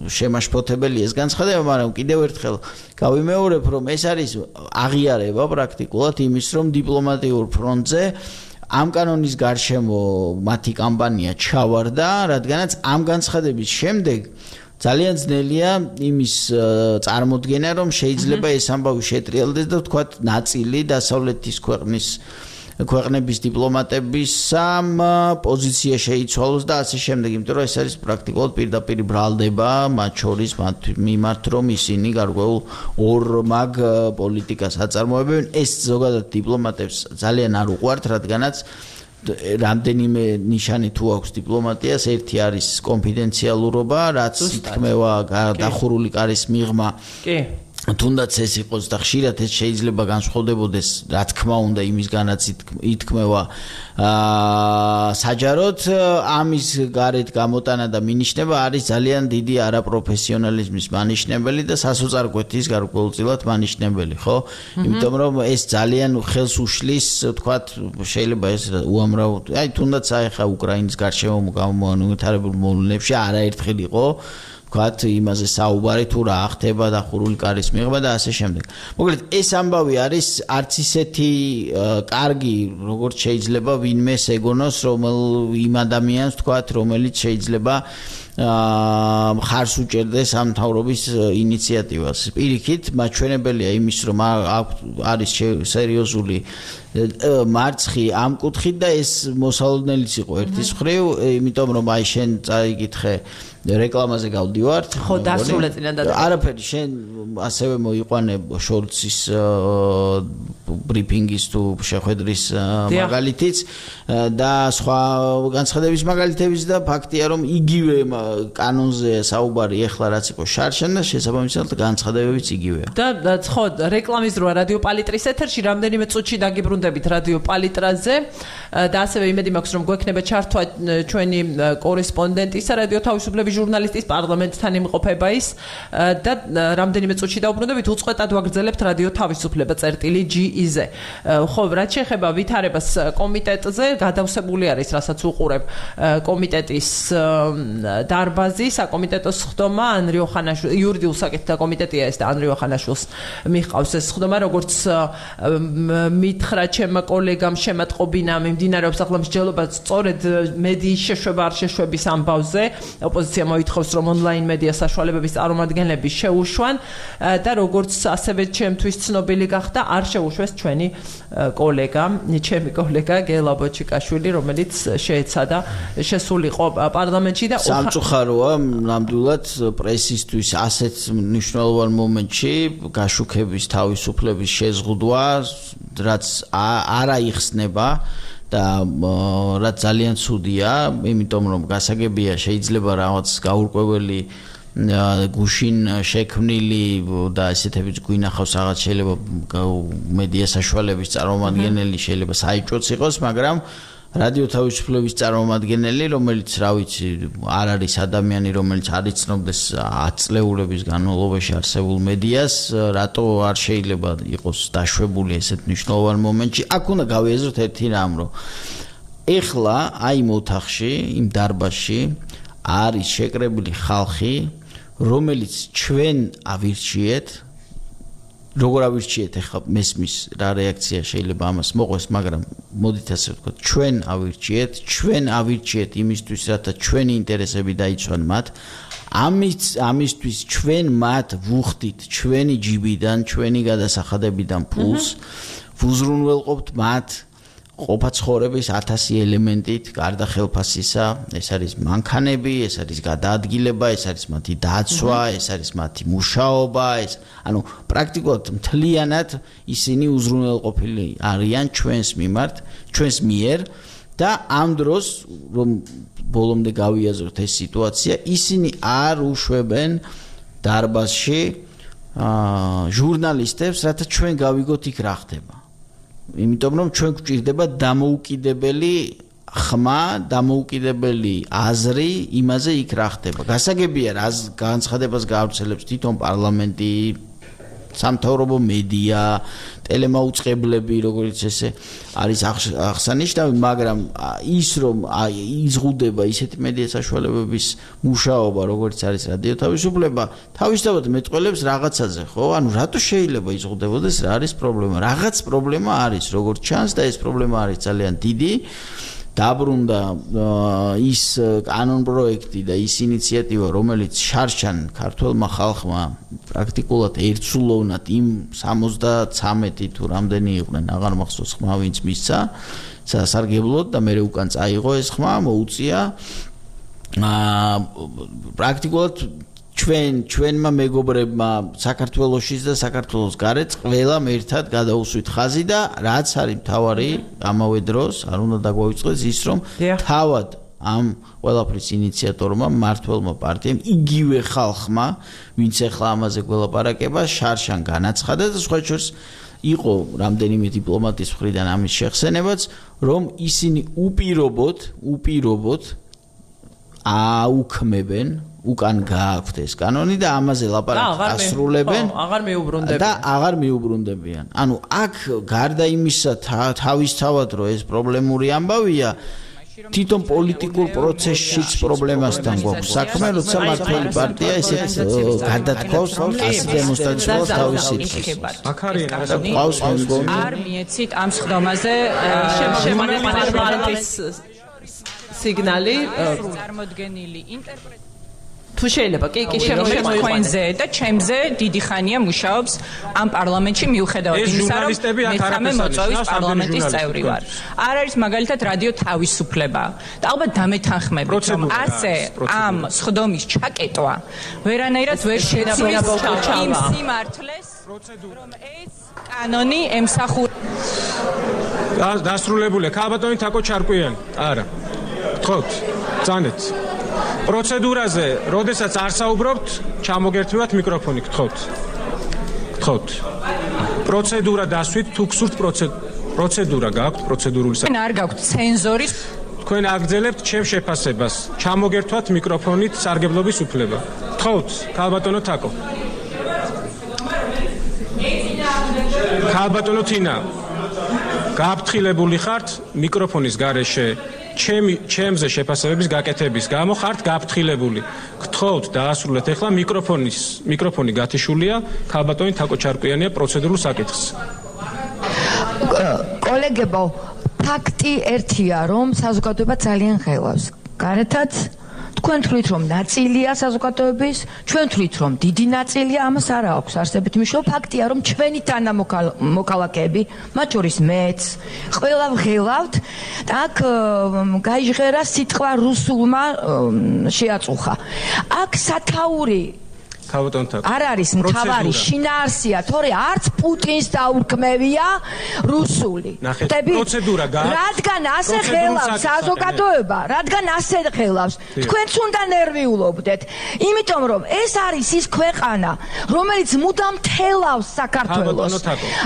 [SPEAKER 2] შემაშფოთებელი ეს განცხადება, მაგრამ კიდევ ერთხელ გავიმეორებ, რომ ეს არის აღიარება პრაქტიკულად იმის, რომ დიპლომატიურ ფრონტზე ამ კანონის გარშემო მათი კამპანია ჩავარდა, რადგანაც ამ განცხადების შემდეგ ძალიან ძნელია იმის წარმოდგენა, რომ შეიძლება ეს ამბავი შეტრიალდეს და თქვათ ნაწილი დასავლეთის ქვეყნების დიპლომატების პოზიცია შეიცვალოს და ასე შემდეგ, იმიტომ რომ ეს არის პრაქტიკულად პირდაპირ ბრალდება მათ შორის მათ მიმართ, რომ ისინი გარკვეულ ორმაგ პოლიტიკას აწარმოებენ. ეს ზოგადად დიპლომატებს ძალიან არ უყვართ, რადგანაც რამდენიმე ნიშანი თუ აქვს დიპლომატიას, ერთი არის კონფიდენციალურობა, რაც ითქმევა დახურული კარის მიღმა. კი. თუნდაც ეს იყოს და ხშირად ეს შეიძლება განსხვავდებოდეს, რა თქმა უნდა, იმისგანაც ითქმევა საჯაროდ, ამის გარეთ გამოტანა და მინიშნება არის ძალიან დიდი არაპროფესიონალიზმის მანიშნებელი და სასოწარკვეთის გარკვეულწილად მანიშნებელი, ხო? იმიტომ რომ ეს ძალიან ხელს უშლის, თქვათ, შეიძლება ეს უამრავ, აი თუნდაც ახლა უკრაინის გარშემო გამოანვითარებულ მოვლენებში არაერთხელ იყო ვთქვათ, იმაზე საუბარი თუ რა ხდება დახურული კარის მიღება და ასე შემდეგ. მოკლედ, ეს ამბავი არის არც ისეთი კარგი, როგორც შეიძლება ვინმეს ეგონოს, იმ ადამიანს, ვთქვათ, რომელიც შეიძლება მხარს უჭერდეს ამ მთავრობის ინიციატივას. პირიქით, მაჩვენებელია იმის, რომ არის სერიოზული მარცხი ამ კუთხით და ეს მოსალოდნელიც იყო ერთის მხრივ, იმიტომ რომ აი შენ წაიკითხე რეკლამაზე გავდივართ.
[SPEAKER 1] ხო, დასრულე წინანდ.
[SPEAKER 2] არაფერი, შენ ასევე მოიყვანე შოლცის ბრიფინგის თუ შეხვედრის მაგალითიც და სხვა განცხადების მაგალითებიც და ფაქტია, რომ იგივე კანონზე საუბარი ეხლა რაც იყო შარშან და შესაბამისად განცხადებებიც იგივეა.
[SPEAKER 1] და ხო, რეკლამის დროა რადიო პალიტრის ეთერში რამდენიმე წუთში დაგიბრუნდებით რადიო პალიტრაზე და ასევე იმედი მაქვს, რომ გვექნება ჩართვა ჩვენი კორესპონდენტისა, რადიო თავისუფლების ჟურნალისტის პარლამენტთან იმყოფება ის და რამდენიმე წუთში დავუბრუნდებით, უწყვეტად ვაგრძელებთ რადიო თავისუფლება წერტილი.ge-ზე. ხო, რაც შეეხება ვითარებას კომიტეტზე, გადავსებული არის, რასაც უყურებ კომიტეტის დარბაზი, საკომიტეტო სხდომა, ანრი ოხანაშვილი, იურიდიულ საკითხთა კომიტეტია ეს და ანრი ოხანაშვილს მიჰყავს ეს სხდომა, როგორც მითხრა ჩემმა კოლეგამ შემატყობინა მიმდინარეობს ახლა მსჯელობა სწორედ მედიის შეშვება არ შეშვების ამბავზე, ოპოზიცია კონსტიტუცია მოითხოვს, რომ ონლაინ მედია საშუალებების წარმომადგენლები შეუშვან და როგორც ასევე ჩემთვის ცნობილი გახდა, არ შეუშვეს ჩვენი ჩემი კოლეგა გელა ბოჩიკაშვილი, რომელიც შეეცადა შესულიყო პარლამენტში და
[SPEAKER 2] სამწუხაროა ნამდვილად პრესისთვის ასეთ მნიშვნელოვან მომენტში გაშუქების თავისუფლების შეზღუდვა, რაც არ აიხსნება და რაც ძალიან ცუდია, იმიტომ რომ გასაგებია შეიძლება რაღაც გაურკვეველი გუშინ შექმნილი და ესეთებიც გვინახავს რაღაც შეიძლება მედია საშუალების წარმომადგენელი შეიძლება საიჭოც იყოს, მაგრამ რადიო თავისუფლების წარმომადგენელი, რომელიც რა ვიცი, არ არის ადამიანი, რომელიც არ იცნობდეს 10 წლეულების განმავლობაში არსებულ მედიას, რატო არ შეიძლება იყოს დაშვებული ესეთ მნიშვნელოვან მომენტში? აქ უნდა გავიაზროთ ერთი რამ, რომ ეხლა აი იმ ოთახში, იმ დარბაზში არის შეკრებილი ხალხი, რომელიც ჩვენ ავირჩიეთ, როგორ ავირჩიეთ ახლა მესმის რა რეაქცია შეიძლება ამას მოყვეს, მაგრამ მოდით ასე ვთქვათ, ჩვენ ავირჩიეთ იმისთვის, რათა ჩვენი ინტერესები დაიცვან მათ. ამისთვის ჩვენ მათ ვუხდით ჩვენი ჯიბიდან, ჩვენი გადასახადებიდან ფულს, ვუზრუნველყოფთ მათ ყოფაცხოვრების 1000 ელემენტით, გარდა ხელფასისა, ეს არის მანქანები, ეს არის გადაადგილება, ეს არის მათი დაცვა, ეს არის მათი მუშაობა, ანუ პრაქტიკულად მთლიანად ისინი უზრუნველყოფილი არიან ჩვენს მიერ და ამ დროს რომ ბოლომდე გავიაზროთ ეს სიტუაცია, ისინი არ უშვებენ დარბაზში ჟურნალისტებს, რათა ჩვენ გავიგოთ იქ რა ხდება. იმიტომ რომ ჩვენ გვჭირდება დამოუკიდებელი ხმა, დამოუკიდებელი აზრი იმაზე იქ რა ხდება. გასაგებია რა განცხადებას გაავრცელებს თვითონ პარლამენტი, სამთავრობო მედია, ტელემაუწყებლები, როგორც ესე არის აღსანიშნავი, მაგრამ ის რომ იზღუდება ისეთი მედია საშუალებების მუშაობა, როგორც არის რადიო თავისუფლება, თავისთავად მეტყველებს რაღაცაზე, ხო? ანუ რატო შეიძლება იზღუდებოდეს, რა არის პრობლემა? რაღაც პრობლემა არის, როგორც ჩანს და ეს პრობლემა არის ძალიან დიდი. დაბრუნდა ის კანონ პროექტი და ის ინიციატივა, რომელიც შარშან ქართველმა ხალხმა პრაქტიკულად ერთსულოვნად იმ 73 თუ რამდენი იყვნენ, აღარ მახსოვს ხმა ვინც მისცა სასარგებლოდ და მე უკან წაიღო ეს ხმა, მოუწია პრაქტიკულად ჩვენმა მეგობრებმა საქართველოსშიც და საქართველოს გარეთ ყველამ ერთად გადაუსვით ხაზი და რაც არის მთავარი ამავე დროს არ უნდა დაგვაუწყდეს ის რომ თავად ამ ყველაფრის ინიციატორმა მმართველმა პარტიამ იგივე ხალხმა ვინც ახლა ამაზე გველაპარაკება შარშან განაცხადა და სხვა შორის იყო რამდენიმე დიპლომატის მხრიდან ამის შეხსენებაც რომ ისინი უპირობოდ აუქმებენ უკან გააქვთ ეს კანონი და ამაზე ლაპარაკს ასრულებენ და აღარ მიუბრუნდებიან. ანუ აქ გარდა იმისა თავისთავად რომ ეს პრობლემური ამბავია, თვითონ პოლიტიკურ პროცესშიც პრობლემასთან გვაქვს საქმე, როცა მმართველი პარტია ესეთ გადათქვავს ასეთ დემონსტრაციას თავის სიტყვას.
[SPEAKER 3] არ მიეცით ამ სხდომაზე
[SPEAKER 1] შემოგვიყვანეს სიგნალი
[SPEAKER 3] წარმოდგენილი ინტერპრეტაცია
[SPEAKER 1] თუ შეიძლება კი
[SPEAKER 3] შემოიყვანეს და ჩემზე დიდი ხანია მუშაობს ამ პარლამენტში მიუხედავად იმისა რომ მე მოწვევის პარლამენტის წევრი ვარ. არ არის მაგალითად რადიო თავისუფლება და ალბათ დამეთანხმებით რომ ასე ამ სხდომის ჩაკეტვა ვერანაირად ვერ შეცვლის იმ სიმართლეს რომ ეს კანონი ემსახურება.
[SPEAKER 4] დასრულებულია ქალბატონი თაკო ჩარკვიანი. არა. გთხოვთ, წანეთ. პროცედურაზე, როდესაც არ საუბრობთ, ჩამოგერთვათ მიკროფონი, გთხოვთ. პროცედურა დასვით, თუ გსურთ პროცედურა გაქვთ, პროცედურული
[SPEAKER 3] არ გაქვთ ცენზორის.
[SPEAKER 4] თქვენ აგრძელებთ ჩემ შეფასებას. ჩამოგერთვათ მიკროფონით სარგებლობის უფლება. გთხოვთ, ქალბატონო თაკო. ქალბატონო თინა, გაფრთხილებული ხართ მიკროფონის გარეშე ჩემზე შეფასებების გაკეთების გამო ხართ გაფრთხილებული. გთხოვთ დაასრულეთ ახლა მიკროფონი გათიშულია ქალბატონი თაკო ჩარკვიანია პროცედურულ საკითხს.
[SPEAKER 5] კოლეგებო, ფაქტი ერთია, რომ საზოგადოება ძალიან ღელავს. გარეთაც თქვენ თვლით რომ ნაწილია საზოგადოების, ჩვენ თვლით რომ დიდი ნაწილია, ამას არ აქვს არსებითი მნიშვნელობა. ფაქტია რომ ჩვენი თანამოქალაქეები, მათ შორის მეც, ყველა ვღელავთ და აქ გაიჟღერა სიტყვა რუსულმა შეაწუხა. აქ სათაური არ არის მთავარი შინაარსია, თორე არც პუტინს დაურქმევია რუსული.
[SPEAKER 4] პროცედურა გააქვს.
[SPEAKER 5] რადგან ასე ღელავს საზოგადოება, რადგან ასე ღელავს, თქვენც უნდა ნერვიულობდეთ. იმიტომ რომ ეს არის ის ქვეყანა, რომელიც მუდამ თელავს საქართველოს.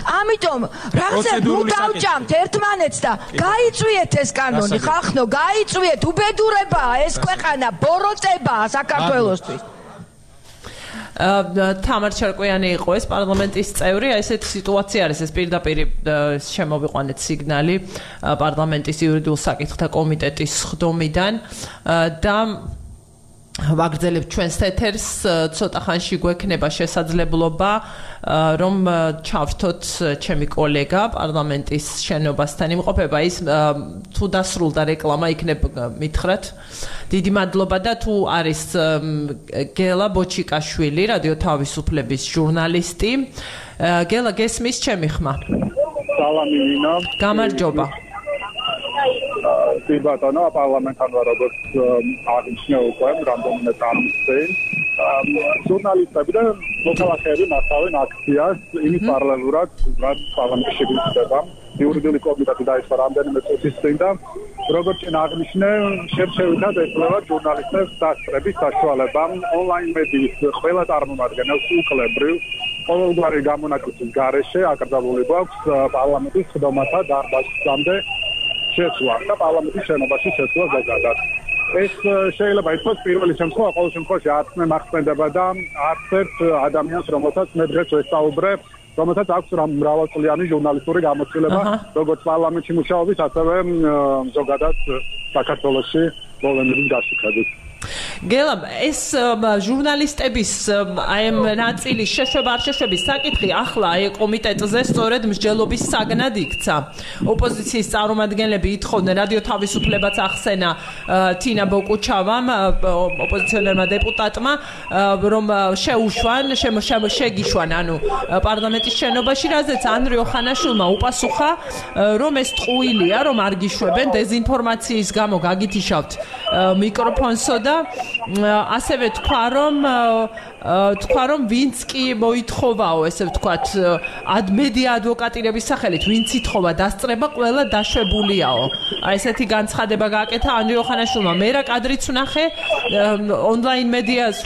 [SPEAKER 5] ამიტომ რაღაცა ნუ დავჭამთ ერთმანეთს და გაიწვიეთ ეს კანონი, ხალხო, გაიწვიეთ, უბედურებაა ეს ქვეყანა, ბოროტებაა საქართველოსთვის.
[SPEAKER 1] თამარ ჩარკვიანი იყო ეს პარლამენტის წევრი, ესეთი სიტუაცია არის, ეს პირდაპირ შემოვიყვანეთ სიგნალი პარლამენტის იურიდიულ საკითხთა კომიტეტის ხდომიდან და ვაგრძელებთ ჩვენს ეთერს, ცოტა ხანში გვექნება შესაძლებლობა რომ ჩავრთოთ ჩემი კოლეგა პარლამენტის შენობასთან იმყოფება, ის თუ დასრულდა რეკლამა იქნებ მითხრათ. დიდი მადლობა და თუ არის გელა ბოჩიკაშვილი, რადიო თავისუფლების ჟურნალისტი. გელა, გესმის ჩემი ხმა?
[SPEAKER 6] სალამი ნინო.
[SPEAKER 1] გამარჯობა.
[SPEAKER 6] ბატონო, პარლამენტთან ვარ, როგორც აღნიშნე უკვე რამდენიმე წამის წინ. ჟურნალისტები და მოქალაქეები მასწავლენ აქციას იმის პარალელურად, რაც პარლამენტში გვიხდება. იურიდიული კომიტეტი დაიწყო რამდენიმე წუთის წინ და როგორც წინ აღნიშნე, შერჩევითად ეძლევა ჟურნალისტებს დასწრების საშუალება ონლაინ მედიის ყველა წარმომადგენელს უკლებრივ ყოველგვარი გამონაკლისის გარეშე აკრძალული გვაქვს პარლამენტის ხდომათა დარბაზამდე შეცვლა და პარლამენტის შენობაში შეცვლა ზოგადად. ეს შეიძლება ითქვას პირველი შემთხვევა, ყოველ შემთხვევაში არც მე მახსენდება და არც ერთ ადამიანს, რომელსაც მე დღეს ვესწაუბრე, რომელსაც აქვს მრავალწლიანი ჟურნალისტური გამოცდილება, როგორც პარლამენტში მუშაობის, ასევე ზოგადად საქართველოში პოლემიკის გაშუქებით.
[SPEAKER 1] გელა, ეს ჟურნალისტების აი ამ ნაწილის შეშვება არ შეშვების საკითხი ახლა აი კომიტეტზე სწორედ მსჯელობის საგნად იქცა. ოპოზიციის წარმომადგენლები ითხოვდნენ, რადიო თავისუფლებაც ახსენა თინა ბოკუჩავამ, ოპოზიციონერმა დეპუტატმა, რომ შეუშვან, შეგიშვან, ანუ პარლამენტის შენობაში, რაზეც ანრი ოხანაშვილმა უპასუხა, რომ ეს ტყუილია, რომ არ გიშვებენ, დეზინფორმაციის გამო გაგითიშავთ მიკროფონსო და ასევე თქვა რომ ვინც კი მოითხოვაო, ესე ვთქვათ, მედია ადვოკატირების სახელით, ვინც ითხოვა დასწრება, ყველა დაშვებულიაო. აი ესეთი განცხადება გააკეთა ანრი ოხანაშვილმა. მე რა კადრიც ვნახე ონლაინ მედიას,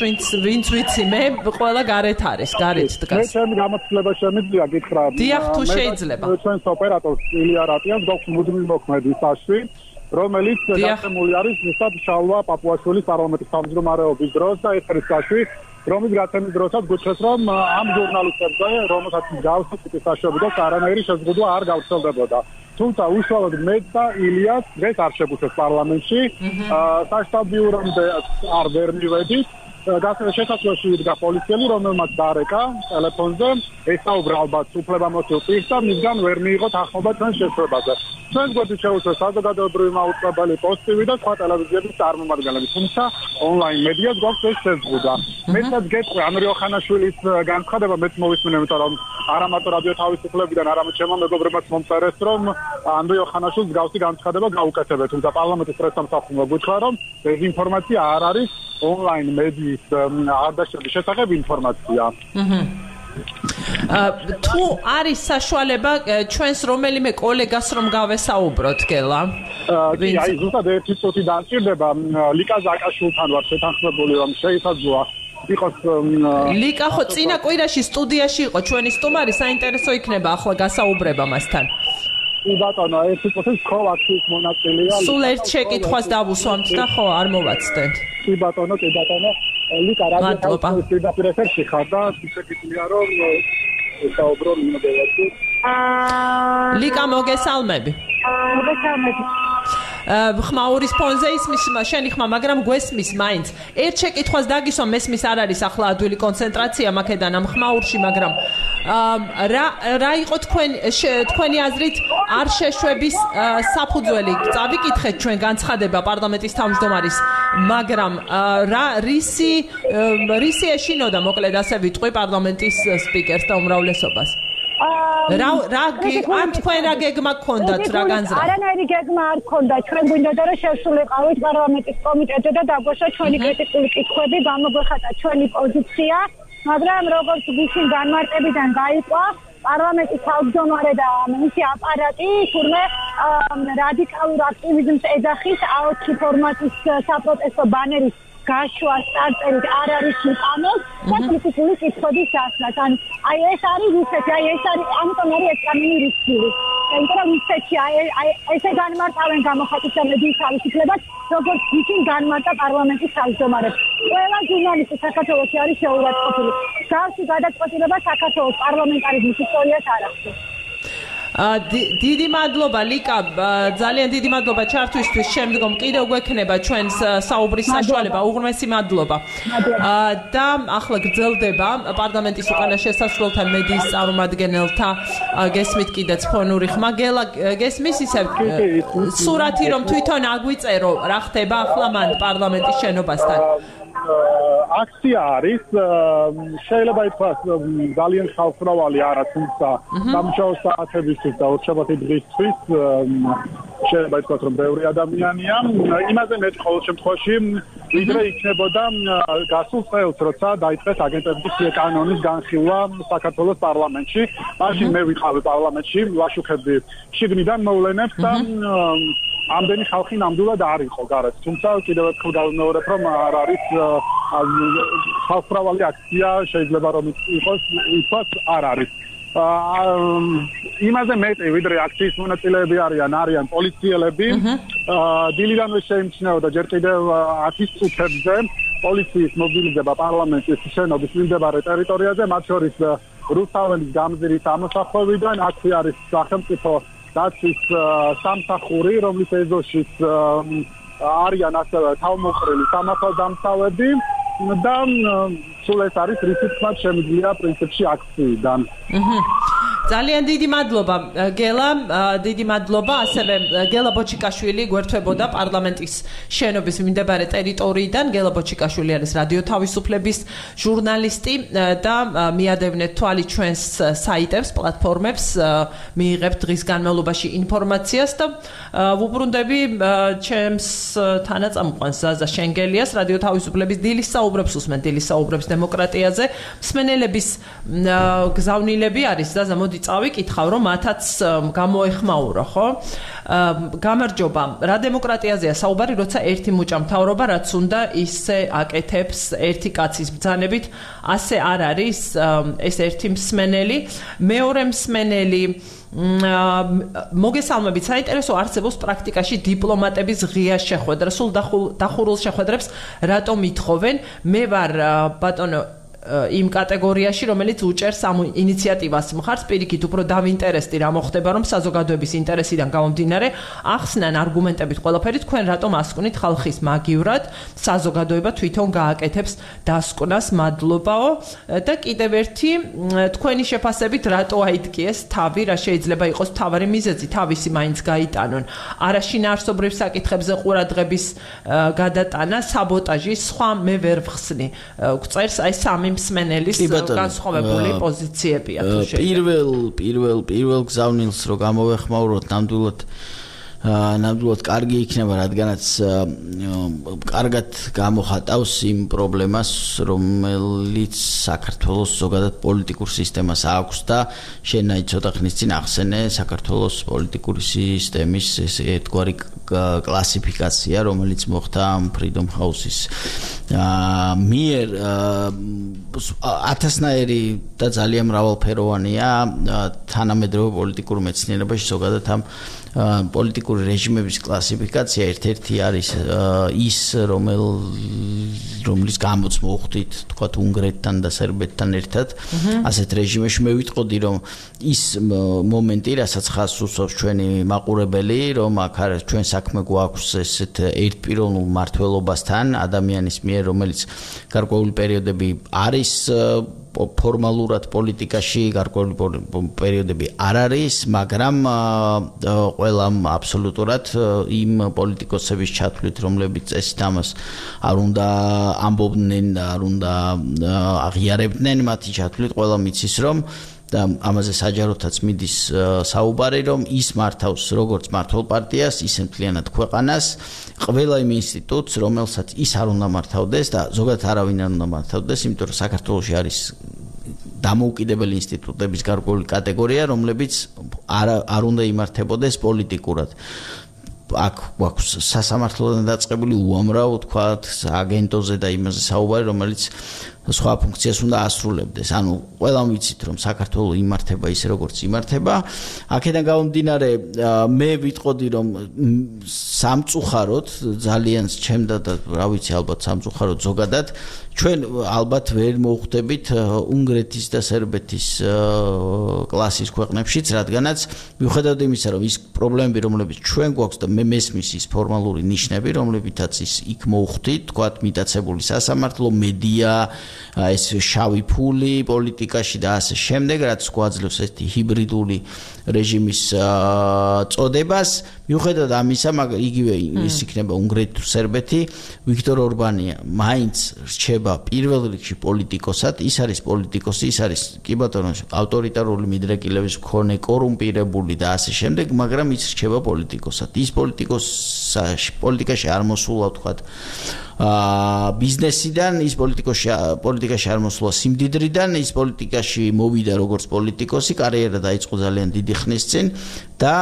[SPEAKER 1] ვინც ვიცი, მე ყველა გარეთ არის, გარეთ დგას.
[SPEAKER 6] მე ჩემი გამოცდილება შემიძლია გითხრა.
[SPEAKER 1] დიახ, თუ შეიძლება.
[SPEAKER 6] ჩვენს ოპერატორს ილია რატიანს გვაქვს მუდმივი მოქმედი საშუი, რომელიც გაწმული არის ზუსტად შალვა პაპუაშვილის პარლამენტის თავმჯდომარეობის დროს და ეთერის საშუი, რომლის გაცემის დროსაც გუჩვენს, რომ ამ ჟურნალისტებზე, რომელსაც მსგავსი ტიპის საშუალება და არანაირი შეზღუდვა არ გავრცელდებოდა. თუმცა უშუალოდ მეც და ილიას დღეს არ შეგუჩვენს პარლამენტში, საშტაბ ბიურომდე არ ვერ მივედით. შესაძლოა იდგა პოლიციელი, რომელმაც დარეკა ტელეფონზე, ესაუბრა ალბათ უფლებამოსილ პირს და მისგან ვერ მიიღოთ ახმობა ჩვენს შეხვედრაზე. ჩვენს გვერდით შეუშვეს საზოგადოებრივი მაუწყებელი პოსტივი და სხვა ტელევიზიების წარმომადგენლები, თუმცა ონლაინ მედიას გვაქვს ეს შეზღუდვა. მეცაც გეტყვი ანრი ოხანაშვილის განცხადება, მეც მოვისმინე, იმიტომ რომ არა მარტო რადიო თავისუფლებიდან, არამედ ჩემო მეგობრებმაც მომწერეს, რომ ანრი ოხანაშვილს გავსი განცხადება გაუკეთებთ, თუმცა პარლამენტის პრესსამსახურმა გითხრა, რომ დეზინფორმაცია არ არის ონლაინ მედიის არდაშების შესახებ ინფორმაცია.
[SPEAKER 1] თუ არის საშუალება ჩვენს რომელიმე კოლეგას რომ გავესაუბროთ, გელა?
[SPEAKER 6] აი, ზუსტად ერთი წუთი დამჭირდება. ლიკა ზაკაშვილთან ვარ შეთანხმებული, რომ შეისაძლოა იყოს
[SPEAKER 1] ლიკა ხო წინა კვირაში სტუდიაში იყო ჩვენი სტუმარი, საინტერესო იქნება ახლა გასაუბრება მასთან.
[SPEAKER 6] ბატონო, ერთი წუთი კოლაქტის მონაწილეა.
[SPEAKER 1] სულ ერთ შეკითხვას დავუსვამთ და ხო არ მოვაცდეთ.
[SPEAKER 6] ბატონო, ლიკა რადიო პირდაპირ ეთერში ხარ და შეკითხვია რომ საუბრო მინდელაში.
[SPEAKER 1] ლიკა, მოგესალმები.
[SPEAKER 7] მოგესალმები.
[SPEAKER 1] ხმაურის ფონზე ისმის შენი ხმა, მაგრამ გვესმის მაინც. ერთ შეკითხვას დაგისვამ, მესმის არ არის ახლა ადვილი კონცენტრაცია მაქედან ამ ხმაურში, მაგრამ რა იყო თქვენი აზრით არ შეშვების საფუძველი? წავიკითხეთ ჩვენ განცხადება პარლამენტის თავმჯდომარის, მაგრამ რისი ეშინოდა მოკლედ ასე ვიტყვი პარლამენტის სპიკერს და უმრავლესობას? ან თქვენ რა გეგმა გქონდათ რა განზრახ?
[SPEAKER 7] არანაირი გეგმა არ გქონდა. ჩვენ გვინდოდა რომ შევსრულიყავით პარლამენტის კომიტეტზე და დაგვეშვა ჩვენი კრიტიკული კითხვები, გამოგვეხატა ჩვენი პოზიცია, მაგრამ როგორც გუშინ განმარტებიდან გაიყვა, პარლამენტის თავმჯდომარე და მისი აპარატი თურმე რადიკალურ აქტივიზმს ეძახის AOT ფორმატის საპროტესტო ბანერის გაშვა სტარტერით არ არის უკანონო და კრიტიკული კითხვების დასმას. აი ეს არის რუსეთი, ამიტომ არის ეს კანონი რუსული. იმიტომ რომ რუსეთში ესე განმარტავენ გამოხატვის მედიის თავისუფლებას, როგორც ისინი განმარტა პარლამენტის თავმჯდომარებს. ყველა ჟურნალისტი საქართველოში არის შეურაცხყოფილი. გავსი გადაწყვეტილება საქართველოს პარლამენტარიზმის ისტორიას არ ახდენს.
[SPEAKER 1] დიდი მადლობა ლიკა, ძალიან დიდი მადლობა ჩართვისთვის. შემდგომ კიდევ გვექნება ჩვენს საუბრის საშუალება. უღრმესი მადლობა. და ახლა გრძელდება პარლამენტის უკანა შესასვლელთა მედიის წარმომადგენელთა გესმით კიდეც ფონური ხმა. გელა გესმის ისევ სურათი რომ თვითონ აგვიწერო რა ხდება ახლა მან პარლამენტის შენობასთან.
[SPEAKER 6] აქცია არის, შეიძლება ითქვას ძალიან ხალხმრავალი არა, თუმცა სამუშაო საათებისთვის და ორშაბათი დღისთვის შეიძლება ითქვას რომ ბევრი ადამიანია. იმაზე მეტი ყოველ შემთხვევაში ვიდრე იქნებოდა გასულ წელს, როცა დაიწყეს აგენტების კანონის განხილვა საქართველოს პარლამენტში. მაშინ მე ვიყავი პარლამენტში, ვაშუქებდი შიგნიდან მოვლენებს და ამდენი ხალხი ნამდვილად არ იყო გარეთ. თუმცა კიდევ ერთხელ გავიმეორებ, რომ არ არის ხალხმრავალი აქცია, შეიძლება რომ იყოს, არ არის. იმაზე მეტი ვიდრე აქციის მონაწილეები არიან პოლიციელები. დილიდანვე შეიმჩნეოდა ჯერ კიდევ 10 წუთებზე პოლიციის მობილიზება პარლამენტის შენობის მიმდებარე ტერიტორიაზე, მათ შორის რუსთაველის გამზირის ამოსახვევიდან. აქ არის სახელმწიფო დაცვის სამსახური, რომლის ეზოშიც არიან ასევე თავმოყრილი სამართალდამცავები და სულ ეს არის რითიც მათ შემიძლია პრინციპში აქციიდან.
[SPEAKER 1] ძალიან დიდი მადლობა გელა, დიდი მადლობა. ასევე გელა ბოჩიკაშვილი გვერდებოდა პარლამენტის შენობის მიმდებარე ტერიტორიიდან. გელა ბოჩიკაშვილი არის რადიო თავისუფლების ჟურნალისტი და მიადევნეთ თვალი ჩვენს საიტებს, პლატფორმებს, მიიღებთ დღის განმავლობაში ინფორმაციას და ვუბრუნდები ჩემს თანაწამყვანს ზაზა შენგელიას, რადიო თავისუფლების დილის საუბრებს უსმენ, დილის საუბრებს დემოკრატიაზე. მსმენელების გზავნილები არის ზაზა, მოდი წავიკითხავ, რომ მათაც გამოეხმაურო, ხო? გამარჯობა. რა დემოკრატიაზეა საუბარი, როცა ერთი მუჭა მთავრობა, რაც უნდა ისე აკეთებს ერთი კაცის ბრძანებით, ასე არ არის ეს ერთი მსმენელი, მეორე მსმენელი მოგესალმებით, საინტერესო არსებობს პრაქტიკაში დიპლომატების ღია შეხვედრა, სულ დახურულ შეხვედრებს რატომ ითხოვენ? მე ვარ ბატონო იმ კატეგორიაში, რომელიც უჭერს ამ ინიციატივას მხარს, პირიქით უფრო დავინტერესდი რა მოხდება, რომ საზოგადოების ინტერესიდან გამომდინარე ახსნან არგუმენტებით ყველაფერი, თქვენ რატომ ასკვნით ხალხის მაგივრად, საზოგადოება თვითონ გააკეთებს დასკვნას, მადლობაო. და კიდევ ერთი, თქვენი შეფასებით რატო აიდგიეს თავი, რა შეიძლება იყოს თავარი მიზეზი, თავისი მაინც გაიტანონ. არაშინაარსობრივ საკითხებზე ყურადღების გადატანა, საბოტაჟი, სხვა მე ვერ ვხსნი. გწერს აი სამი მსმენელის განსხვავებული პოზიციებია თუ შეიძლება.
[SPEAKER 2] პირველ გზავნილს რო გამოვეხმაუროთ, ნამდვილად კარგი იქნება, რადგანაც კარგად გამოხატავს იმ პრობლემას, რომელიც საქართველოს ზოგადად პოლიტიკურ სისტემას აქვს და შენ ცოტა ხნის წინ ახსენე საქართველოს პოლიტიკური სისტემის ერთგვარი კლასიფიკაცია, რომელიც მოხდა Freedom House-ის მიერ ათასნაირი და ძალიან მრავალფეროვანია თანამედროვე პოლიტიკურ მეცნიერებაში ზოგადად ამ პოლიტიკური რეჟიმების კლასიფიკაცია ერთ-ერთი არის ის, რომლის გამოც მოხვდით, თქვათ უნგრეთთან და სერბეთთან ერთად, ასეთ რეჟიმებში მე ვიტყოდი, რომ ის მომენტი, რასაც ხაზს უსვამს ჩვენი მაყურებელი, რომ აქ არის ჩვენ საქმე გვაქვს ესეთ ერთპიროვნულ მმართველობასთან ადამიანის მიერ, რომელიც გარკვეული პერიოდები არის ფორმალურად პოლიტიკაში, გარკვეული პერიოდები არ არის, მაგრამ ყველამ აბსოლუტურად იმ პოლიტიკოსების ჩათვლით, რომლებიც წესით ამას არ უნდა ამბობდნენ და არ უნდა აღიარებდნენ, მათი ჩათვლით ყველამ იცის, რომ და ამაზე საჯაროთაც მიდის საუბარი, რომ ის მართავს როგორც მართლ პარტიას, ისე მთლიანად ქვეყანას, ყველა იმ ინსტიტუტს, რომელსაც ის არ უნდა მართავდეს და ზოგადად არავინ არ უნდა მართავდეს, იმიტომ რომ საქართველოში არის დამოუკიდებელი ინსტიტუტების გარკვეული კატეგორია, რომლებიც არ უნდა იმართებოდეს პოლიტიკურად. აქ გვაქვს სასამართლოდან დაწყებული უამრავ, თქვათ, აგენტოზე და იმაზე საუბარი, რომელიც სხვა ფუნქციას უნდა ასრულებდეს. ანუ ყველამ ვიცით, რომ საქართველო იმართება ისე, როგორც იმართება. აქედან გამომდინარე, მე ვიტყოდი, რომ სამწუხაროდ ძალიან ჩემდა და რა ვიცი, ალბათ სამწუხაროდ ზოგადად ჩვენ ალბათ ვერ მოვხვდებით უნგრეთის და სერბეთის კლასის ქვეყნებშიც, რადგანაც მიუხედავად იმისა, რომ ის პრობლემები, რომლებიც ჩვენ გვაქვს და მე მესმის ის ფორმალური ნიშნები, რომლებითაც ის იქ მოვხვდით, თქვათ, მიტაცებული სასამართლო, მედია, ეს შავი ფული პოლიტიკაში და ასე შემდეგ, რაც გვაძლევს ესეთი ჰიბრიდული რეჟიმის წოდებას. მიუხედავად ამისა, მაგრამ იგივე ის იქნება უნგრეთი თუ სერბეთი, ვიქტორ ორბანი მაინც რჩება პირველ რიგში პოლიტიკოსად, ის არის პოლიტიკოსი, ის არის კი ბატონო ავტორიტარული მიდრეკილების მქონე, კორუმპირებული და ასე შემდეგ, მაგრამ ის რჩება პოლიტიკოსად. ის პოლიტიკაში არ მოსულა, თქვათ, ბიზნესიდან, ის პოლიტიკაში არ მოსულა სიმდიდრიდან, ის პოლიტიკაში მოვიდა როგორც პოლიტიკოსი, კარიერა დაიწყო ძალიან დიდი ხნის წინ და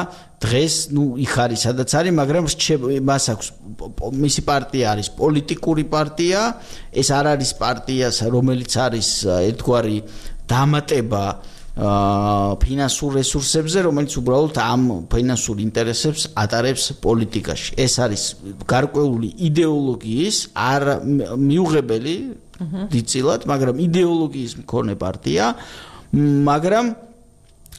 [SPEAKER 2] დღეს იქ არის სადაც არის, მაგრამ მას აქვს მისი პარტია არის პოლიტიკური პარტია, ეს არ არის პარტია, რომელიც არის ერთგვარი დამატება ფინანსურ რესურსებზე, რომელიც უბრალოდ ამ ფინანსურ ინტერესებს ატარებს პოლიტიკაში. ეს არის გარკვეული იდეოლოგიის არ მიუღებელი დიდწილად, მაგრამ იდეოლოგიის მქონე პარტია, მაგრამ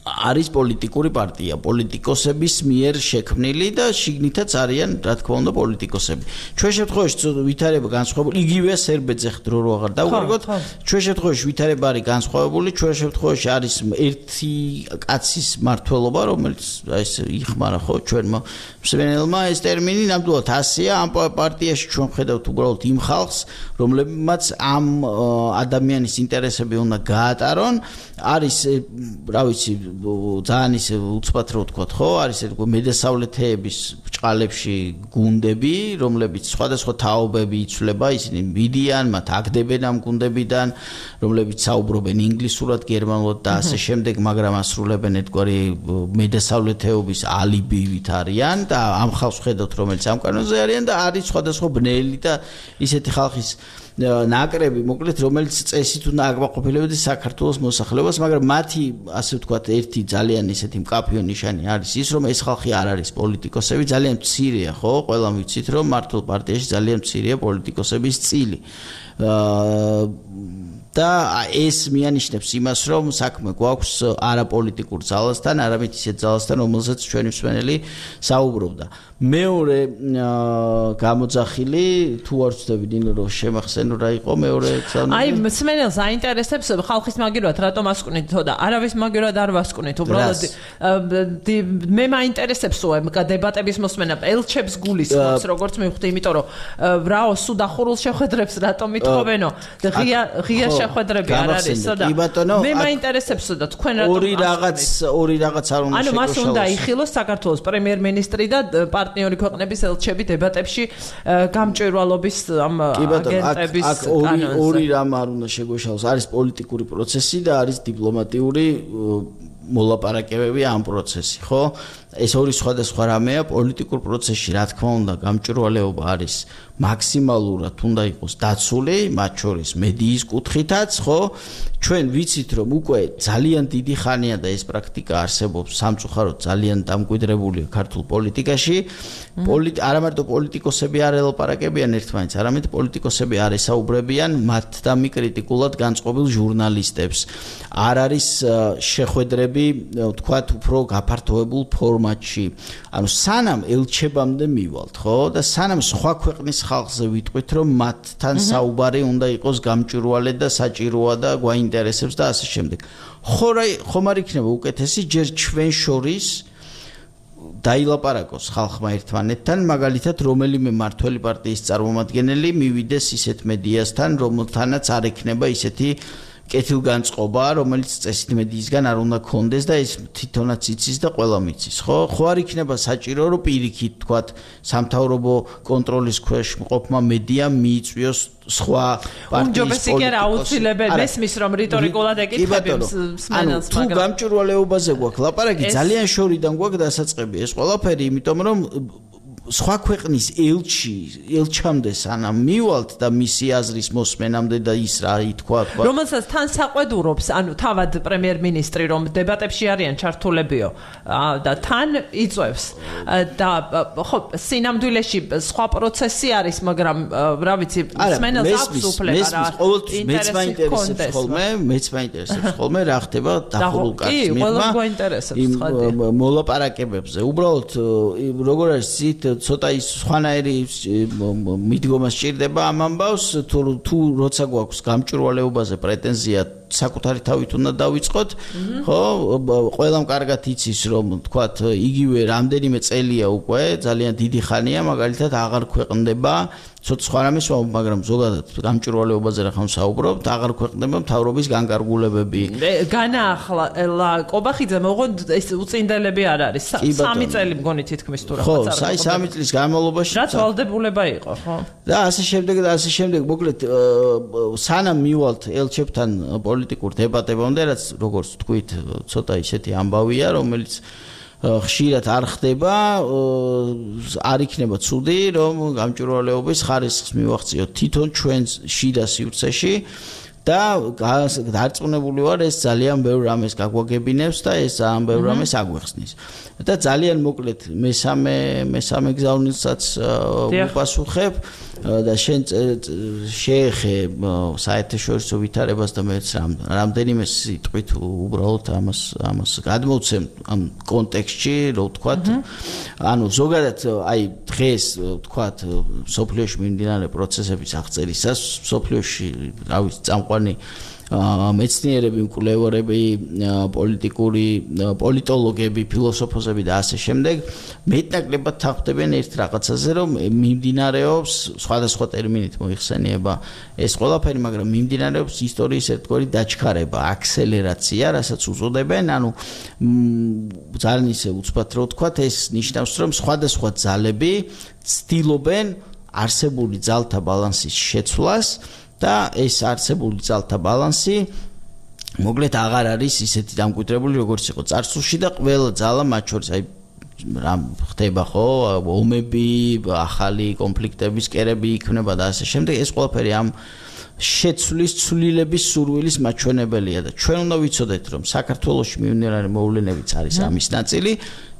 [SPEAKER 2] არის პოლიტიკური პარტია, პოლიტიკოსების მიერ შექმნილი და შიგნითაც არიან, რა თქმა უნდა, პოლიტიკოსები. ჩვენ შემთხვევაში ვითარება განსხვავებული, იგივეა სერბეთზე ხდრო რო აღარ დავუყარგოთ. ჩვენ შემთხვევაში ვითარება არის განსხვავებული, ჩვენ შემთხვევაში არის ერთი კაცის მმართველობა, რომელიც ეს იხმარა ხო ჩვენმა მსმენელმა ეს ტერმინი, ნამდვილად ასეა, ამ პარტიაში ჩვენ ხედავთ უბრალოდ იმ ხალხს, რომლებმაც ამ ადამიანის ინტერესები უნდა გაატარონ, არის რა ვიცი ძალიან ისე უცბად რო ვთქვათ, ხო, არის მედესალეთეების ბჭყალებში გუნდები, რომლებიც სხვადასხვა თაობები იცვლება, ისინი მიდიან, მათ აგდებენ ამ გუნდებიდან, რომლებიც საუბრობენ ინგლისურად, გერმანულად და ასე შემდეგ, მაგრამ ასრულებენ ერთგვარი მედესალეთეობის ალიბივით არიან და ამ ხალხს ხედავთ, რომელიც ამ კანონზე არიან და არის სხვადასხვა ბნელი და ისეთი ხალხის ნაკრები, მოკლედ, რომელიც წესით უნდა აკმაყოფილებდეს საქართველოს მოსახლეობას, მაგრამ მათი, ასე ვთქვათ, ერთი ძალიან ისეთი მკაფიო ნიშანი არის ის, რომ ეს ხალხი არ არის პოლიტიკოსები, ძალიან მცირეა, ხო? ყველამ ვიცით, რომ მართლ პარტიაში ძალიან მცირეა პოლიტიკოსების წილი. და ეს მიანიშნებს იმას, რომ საქმე გვაქვს არაპოლიტიკურ ძალასთან, არამედ ისეთ ძალასთან, რომელზეც ჩვენი მსმენელი საუბრობდა. მეორე გამოძახილი, თუ არ ვცდები დინო რომ შემახსენო რა იყო მეორე ძალა.
[SPEAKER 1] აი, მსმენელს აინტერესებს ხალხის მაგირად რატომ ასკვნით და არავის მაგირად არ ვასკვნით, უბრალოდ მე მაინტერესებს დებატების მოსმენა, ელჩებს გულისხმობს, როგორც მივხვდი, იმიტომ რომ რაო სუდახურულ შეხვედრებს რატომ მithოვენო და ღია შეხვედრები არ არისო და მე მაინტერესებსო და თქვენ რატომ
[SPEAKER 2] ორი რაღაც არ უნდა
[SPEAKER 1] ანუ მას უნდა იხილოს საქართველოს პრემიერ-მინისტრი და პარტნიორი ქვეყნების ელჩები დებატებში გამჭვირვალობის ამ აგენტების კანონზე.
[SPEAKER 2] ორი რამ არ უნდა შეგვეშალოს, არის პოლიტიკური პროცესი და არის დიპლომატიური მოლაპარაკებები ამ პროცესი, ხო? ეს ორი სხვადასხვა რამეა, პოლიტიკურ პროცესში, რა თქმა უნდა, გამჭვირვალეობა არის მაქსიმალურად უნდა იყოს დაცული, მათ შორის მედიის კუთხითაც, ხო? ჩვენ ვიცით, რომ უკვე ძალიან დიდი ხანია და ეს პრაქტიკა არსებობს სამწუხაროდ ძალიან დამკვიდრებულია ქართულ პოლიტიკაში. არა მარტო პოლიტიკოსები არ ელაპარაკებიან ერთმანეთს, არამედ პოლიტიკოსები არ ესაუბრებიან მათთან კრიტიკულად განწყობილ ჟურნალისტებს. არ არის შეხვედრები, თქვათ, უფრო გაფართოებულ ფორმატში. ფორმატში, ანუ სანამ ელჩებამდე მივალთ, ხო? და სანამ სხვა ქვეყნის ხალხზე ვიტყვით, რომ მათთან საუბარი უნდა იყოს გამჭვირვალე და საჭიროა და გვაინტერესებს და ასე შემდეგ. ხომ არ იქნება უკეთესი ჯერ ჩვენ შორის დაილაპარაკოს ხალხმა ერთმანეთთან, მაგალითად, რომელიმე მართველი პარტიის წარმომადგენელი მივიდეს ისეთ მედიასთან, რომელთანაც არ ექნება ისეთი კეთილგანწყობა, რომელიც წესით მედიისგან არ უნდა კონდეს და ეს თვითონაც იცის და ყველა მიცის, ხო? ხო არ იქნება საჭირო, რომ პირიქით, თქვათ, სამთავრობო კონტროლის ქვეშ მყოფმა მედიამ მიიწვიოს სხვა პარტიის
[SPEAKER 1] უმჯობესი კი არა აუცილებელი მესმის რომ რიტორიკულად ეკითხები მსმენელს,
[SPEAKER 2] მაგრამ თუ გამჭვირვალეობაზე გვაქვს ლაპარაკი, ძალიან შორიდან გვაქვს დასაწყები ეს ყველაფერი, იმიტომ რომ სხვა ქვეყნის ელჩამდე სანამ მივალთ და მისი აზრის მოსმენამდე და ის რა ითქვა,
[SPEAKER 1] რომელსაც თან საყვედურობს, ანუ თავად პრემიერ-მინისტრი რომ დებატებში არიან ჩართულებიო და თან იწევს და ხო სინამდვილეში სხვა პროცესი არის, მაგრამ რა ვიცი, მსმენელს აქვს უფლება რა.
[SPEAKER 2] მეც მაინტერესებს ხოლმე რა ხდება დახურულ კაცს მიღმა მოლაპარაკებებზე. უბრალოდ როგორ არის ზით ცოტა ის სხვანაირი მიდგომა სჭირდება ამ ამბავს, თუ როცა გვაქვს გამჭვირვალეობაზე პრეტენზია საკუთარი თავით უნდა დავიწყოთ, ხო? ყველამ კარგად იცის, რომ თქვათ, იგივე რამდენიმე წელია უკვე, ძალიან დიდი ხანია, მაგალითად აღარ ქვეყნდება, ცოტა სხვა რამეს, მაგრამ ზოგადად გამჭვირვალეობაზე რა ხომ საუბრობთ, აღარ ქვეყნდება მთავრობის განკარგულებები.
[SPEAKER 1] განაახლა კობახიძე მოღონ ეს უწინდელები არ არის. 3 წელი მგონი თითქმის თუ
[SPEAKER 2] რაღაცა. ხო, 3 წლის განმავლობაში
[SPEAKER 1] რაც ვალდებულება იყო, ხო?
[SPEAKER 2] და ასე შემდეგ, მოკლედ სანამ მივალთ ელჩებთან პოლიტიკურ დებატებამდე, რაც როგორც თქვით, ცოტა ისეთი ამბავია, რომელიც ხშირად არ ხდება, არ იქნება ცუდი, რომ გამჭვირვალეობის ხარისხს მივახციოთ თვითონ ჩვენ შიდა სივრცეში და დარწმუნებული ვარ, ეს ძალიან ბევრ რამეს გაგვაგებინებს და ეს ძალიან ბევრ რამეს აგვეხსნის. და ძალიან მოკლედ მესამე გზავნილსაც ვუპასუხებ და შენ შეეხე საერთაშორისო ვითარებას და მეც რამდენიმე სიტყვით უბრალოდ ამას გადმოვცემ ამ კონტექსტში, რო ვთქვათ, ანუ ზოგადად აი დღეს ვთქვათ სოფლიოში მიმდინარე პროცესების აღწერისას სოფლიოში რა ვიცი წამყვანი მეცნიერები, მკვლევარები, პოლიტოლოგები, ფილოსოფოსები და ასე შემდეგ მეტნაკლებად თანხმდებიან ერთ რაღაცაზე, რომ მიმდინარეობს სხვადასხვა ტერმინით მოიხსენიება ეს ყველაფერი, მაგრამ მიმდინარეობს ისტორიის ერთგვარი დაჩქარება, აქსელერაცია, რასაც უწოდებენ, ანუ ძალიან ისე უცბად რო ვთქვათ, ეს ნიშნავს, რომ სხვადასხვა ძალები ცდილობენ არსებული ძალთა ბალანსის შეცვლას და ეს არსებული ძალთა ბალანსი მოკლედ აღარ არის ისეთი დამკვიდრებული, როგორც იყო წარსულში და ყველა ძალა მათ შორის აი რა ხდება ხო, ომები, ახალი კონფლიქტების კერები იქმნება და ასე შემდეგ, ეს ყველაფერი ამ შეცვლის ცვლილების სურვილის მაჩვენებელია და ჩვენ უნდა ვიცოდეთ, რომ საქართველოში მიმდინარე მოვლენებიც არის ამის ნაწილი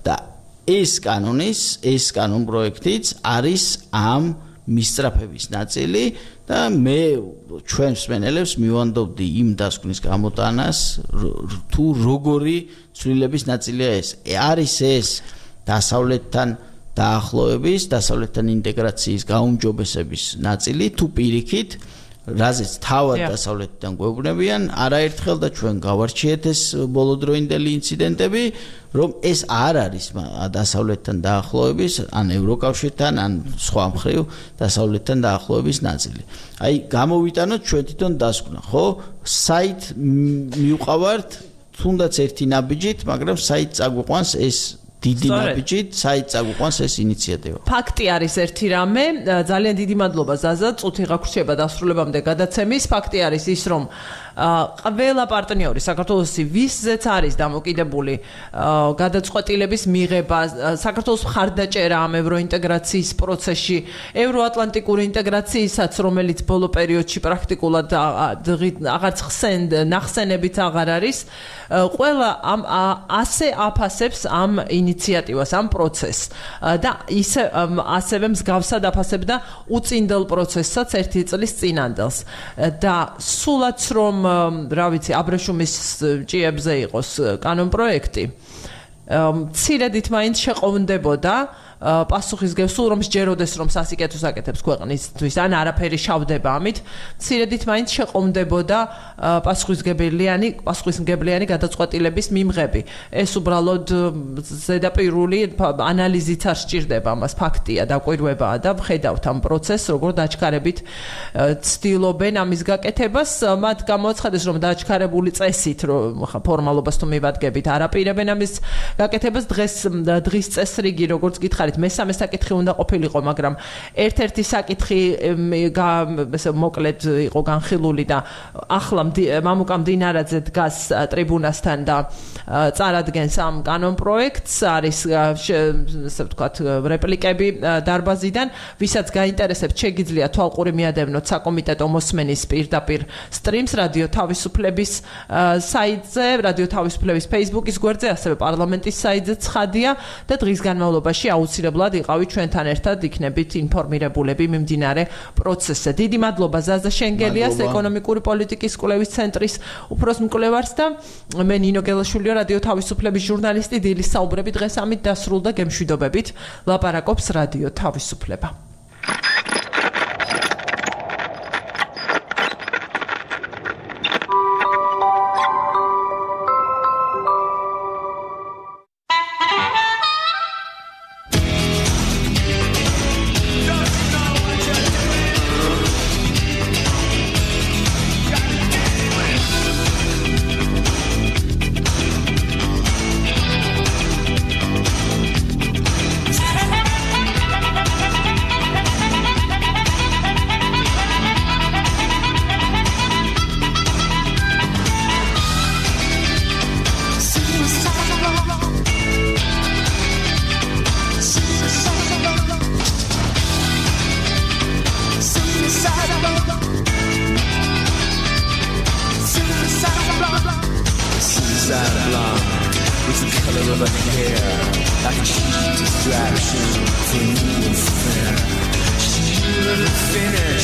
[SPEAKER 2] და ეს კანონ პროექტიც არის ამ მისწრაფების ნაწილი და მე ჩვენ მსმენელებს მივანდობდი იმ დასკვნის გამოტანას, თუ როგორი ცვლილების ნაწილია ეს. არის ეს დასავლეთთან დაახლოების, დასავლეთთან ინტეგრაციის გაუმჯობესების ნაწილი, თუ პირიქით, რაზეც თავად დასავლეთიდან გვეუბნებიან, არაერთხელ და ჩვენ გავარჩიეთ ეს ბოლოდროინდელი ინციდენტები, რომ ეს არ არის დასავლეთთან დაახლოების, ან ევროკავშირთან, ან სხვა მხრივ დასავლეთთან დაახლოების ნაწილი. აი, გამოვიტანოთ ჩვენ თვითონ დასკვნა, ხო? საით მივყავართ, თუნდაც ერთი ნაბიჯით, მაგრამ საით წაგვიყვანს ეს დიდი ნაბიჯით, საით წაგვიყვანს ეს ინიციატივა.
[SPEAKER 1] ფაქტი არის ერთი რამე, ძალიან დიდი მადლობა ზაზა, წუთი გაგვრჩება დასრულებამდე გადაცემის. ფაქტი არის ის, რომ ყველა პარტნიორი საქართველოსი ვისზეც არის დამოკიდებული გადაწყვეტილების მიღება, საქართველოს მხარდაჭერა ამ ევროინტეგრაციის პროცესში, ევროატლანტიკური ინტეგრაციისაც, რომელიც ბოლო პერიოდში პრაქტიკულად აღარც ნახსენებით აღარ არის, ყველა ასე აფასებს ამ ინიციატივას, ამ პროცესს და ასევე მსგავსად აფასებდა უწინდელ პროცესსაც ერთი წლის წინანდელს და სულაც რომ რა ვიცი, აბრეშუმის ჭიებზე იყოს კანონ პროექტი მცირედით მაინც შეყოვნდებოდა პასუხისგებს სულ რომ სჯეროდეს რომ სასიკეთოს აკეთებს ქვეყნისთვის ან არაფერი შავდება ამით მცირედით მაინც შეყოვნდებოდა პასუხისმგებლიანი გადაწყვეტილების მიმღები ეს უბრალოდ ზედაპირული ანალიზით არ სჭირდება მას ფაქტია დაკვირვებაა და ვხედავთ ამ პროცესს როგორ დაჩქარებით ცდილობენ ამის გაკეთებას მათ გამოაცხადეს რომ დაჩქარებული წესით რომ ფორმალობას თუ მივადგებით არაპირებენ ამის გაკეთებას დღის წესრიგი როგორც გითხარით მესამე საკითხი უნდა ყოფილიყო მაგრამ ერთ-ერთი საკითხი მოკლედ იყო განხილული და ახლა მამუკა მდინარაძე დგას ტრიბუნასთან და წარადგენს ამ კანონპროექტს არის ესე ვთქვათ რეპლიკები დარბაზიდან ვისაც გაინტერესებთ შეგიძლია თვალყური მიადევნოთ საკომიტეტო მოსმენის პირდაპირ სტრიმს რადიო თავისუფლების საიტზე რადიო თავისუფლების Facebook-ის გვერდზე ასევე პარლამენტის საიტზე ცხადია და დღის განმავლობაში აუცილებლად იყავით ჩვენთან ერთად იქნებით ინფორმირებულები მიმდინარე პროცესზე. დიდი მადლობა ზაზა შენგელიას ეკონომიკური პოლიტიკის კვლევის ცენტრის უფროს მკვლევარს და მე ნინო გელაშვილია რადიო თავისუფლების ჟურნალისტი დილის საუბრები დღეს ამით დასრულდა გემშვიდობებით ლაპარაკობს რადიო თავისუფლება.
[SPEAKER 8] Distraction for you and fair. She would have finished.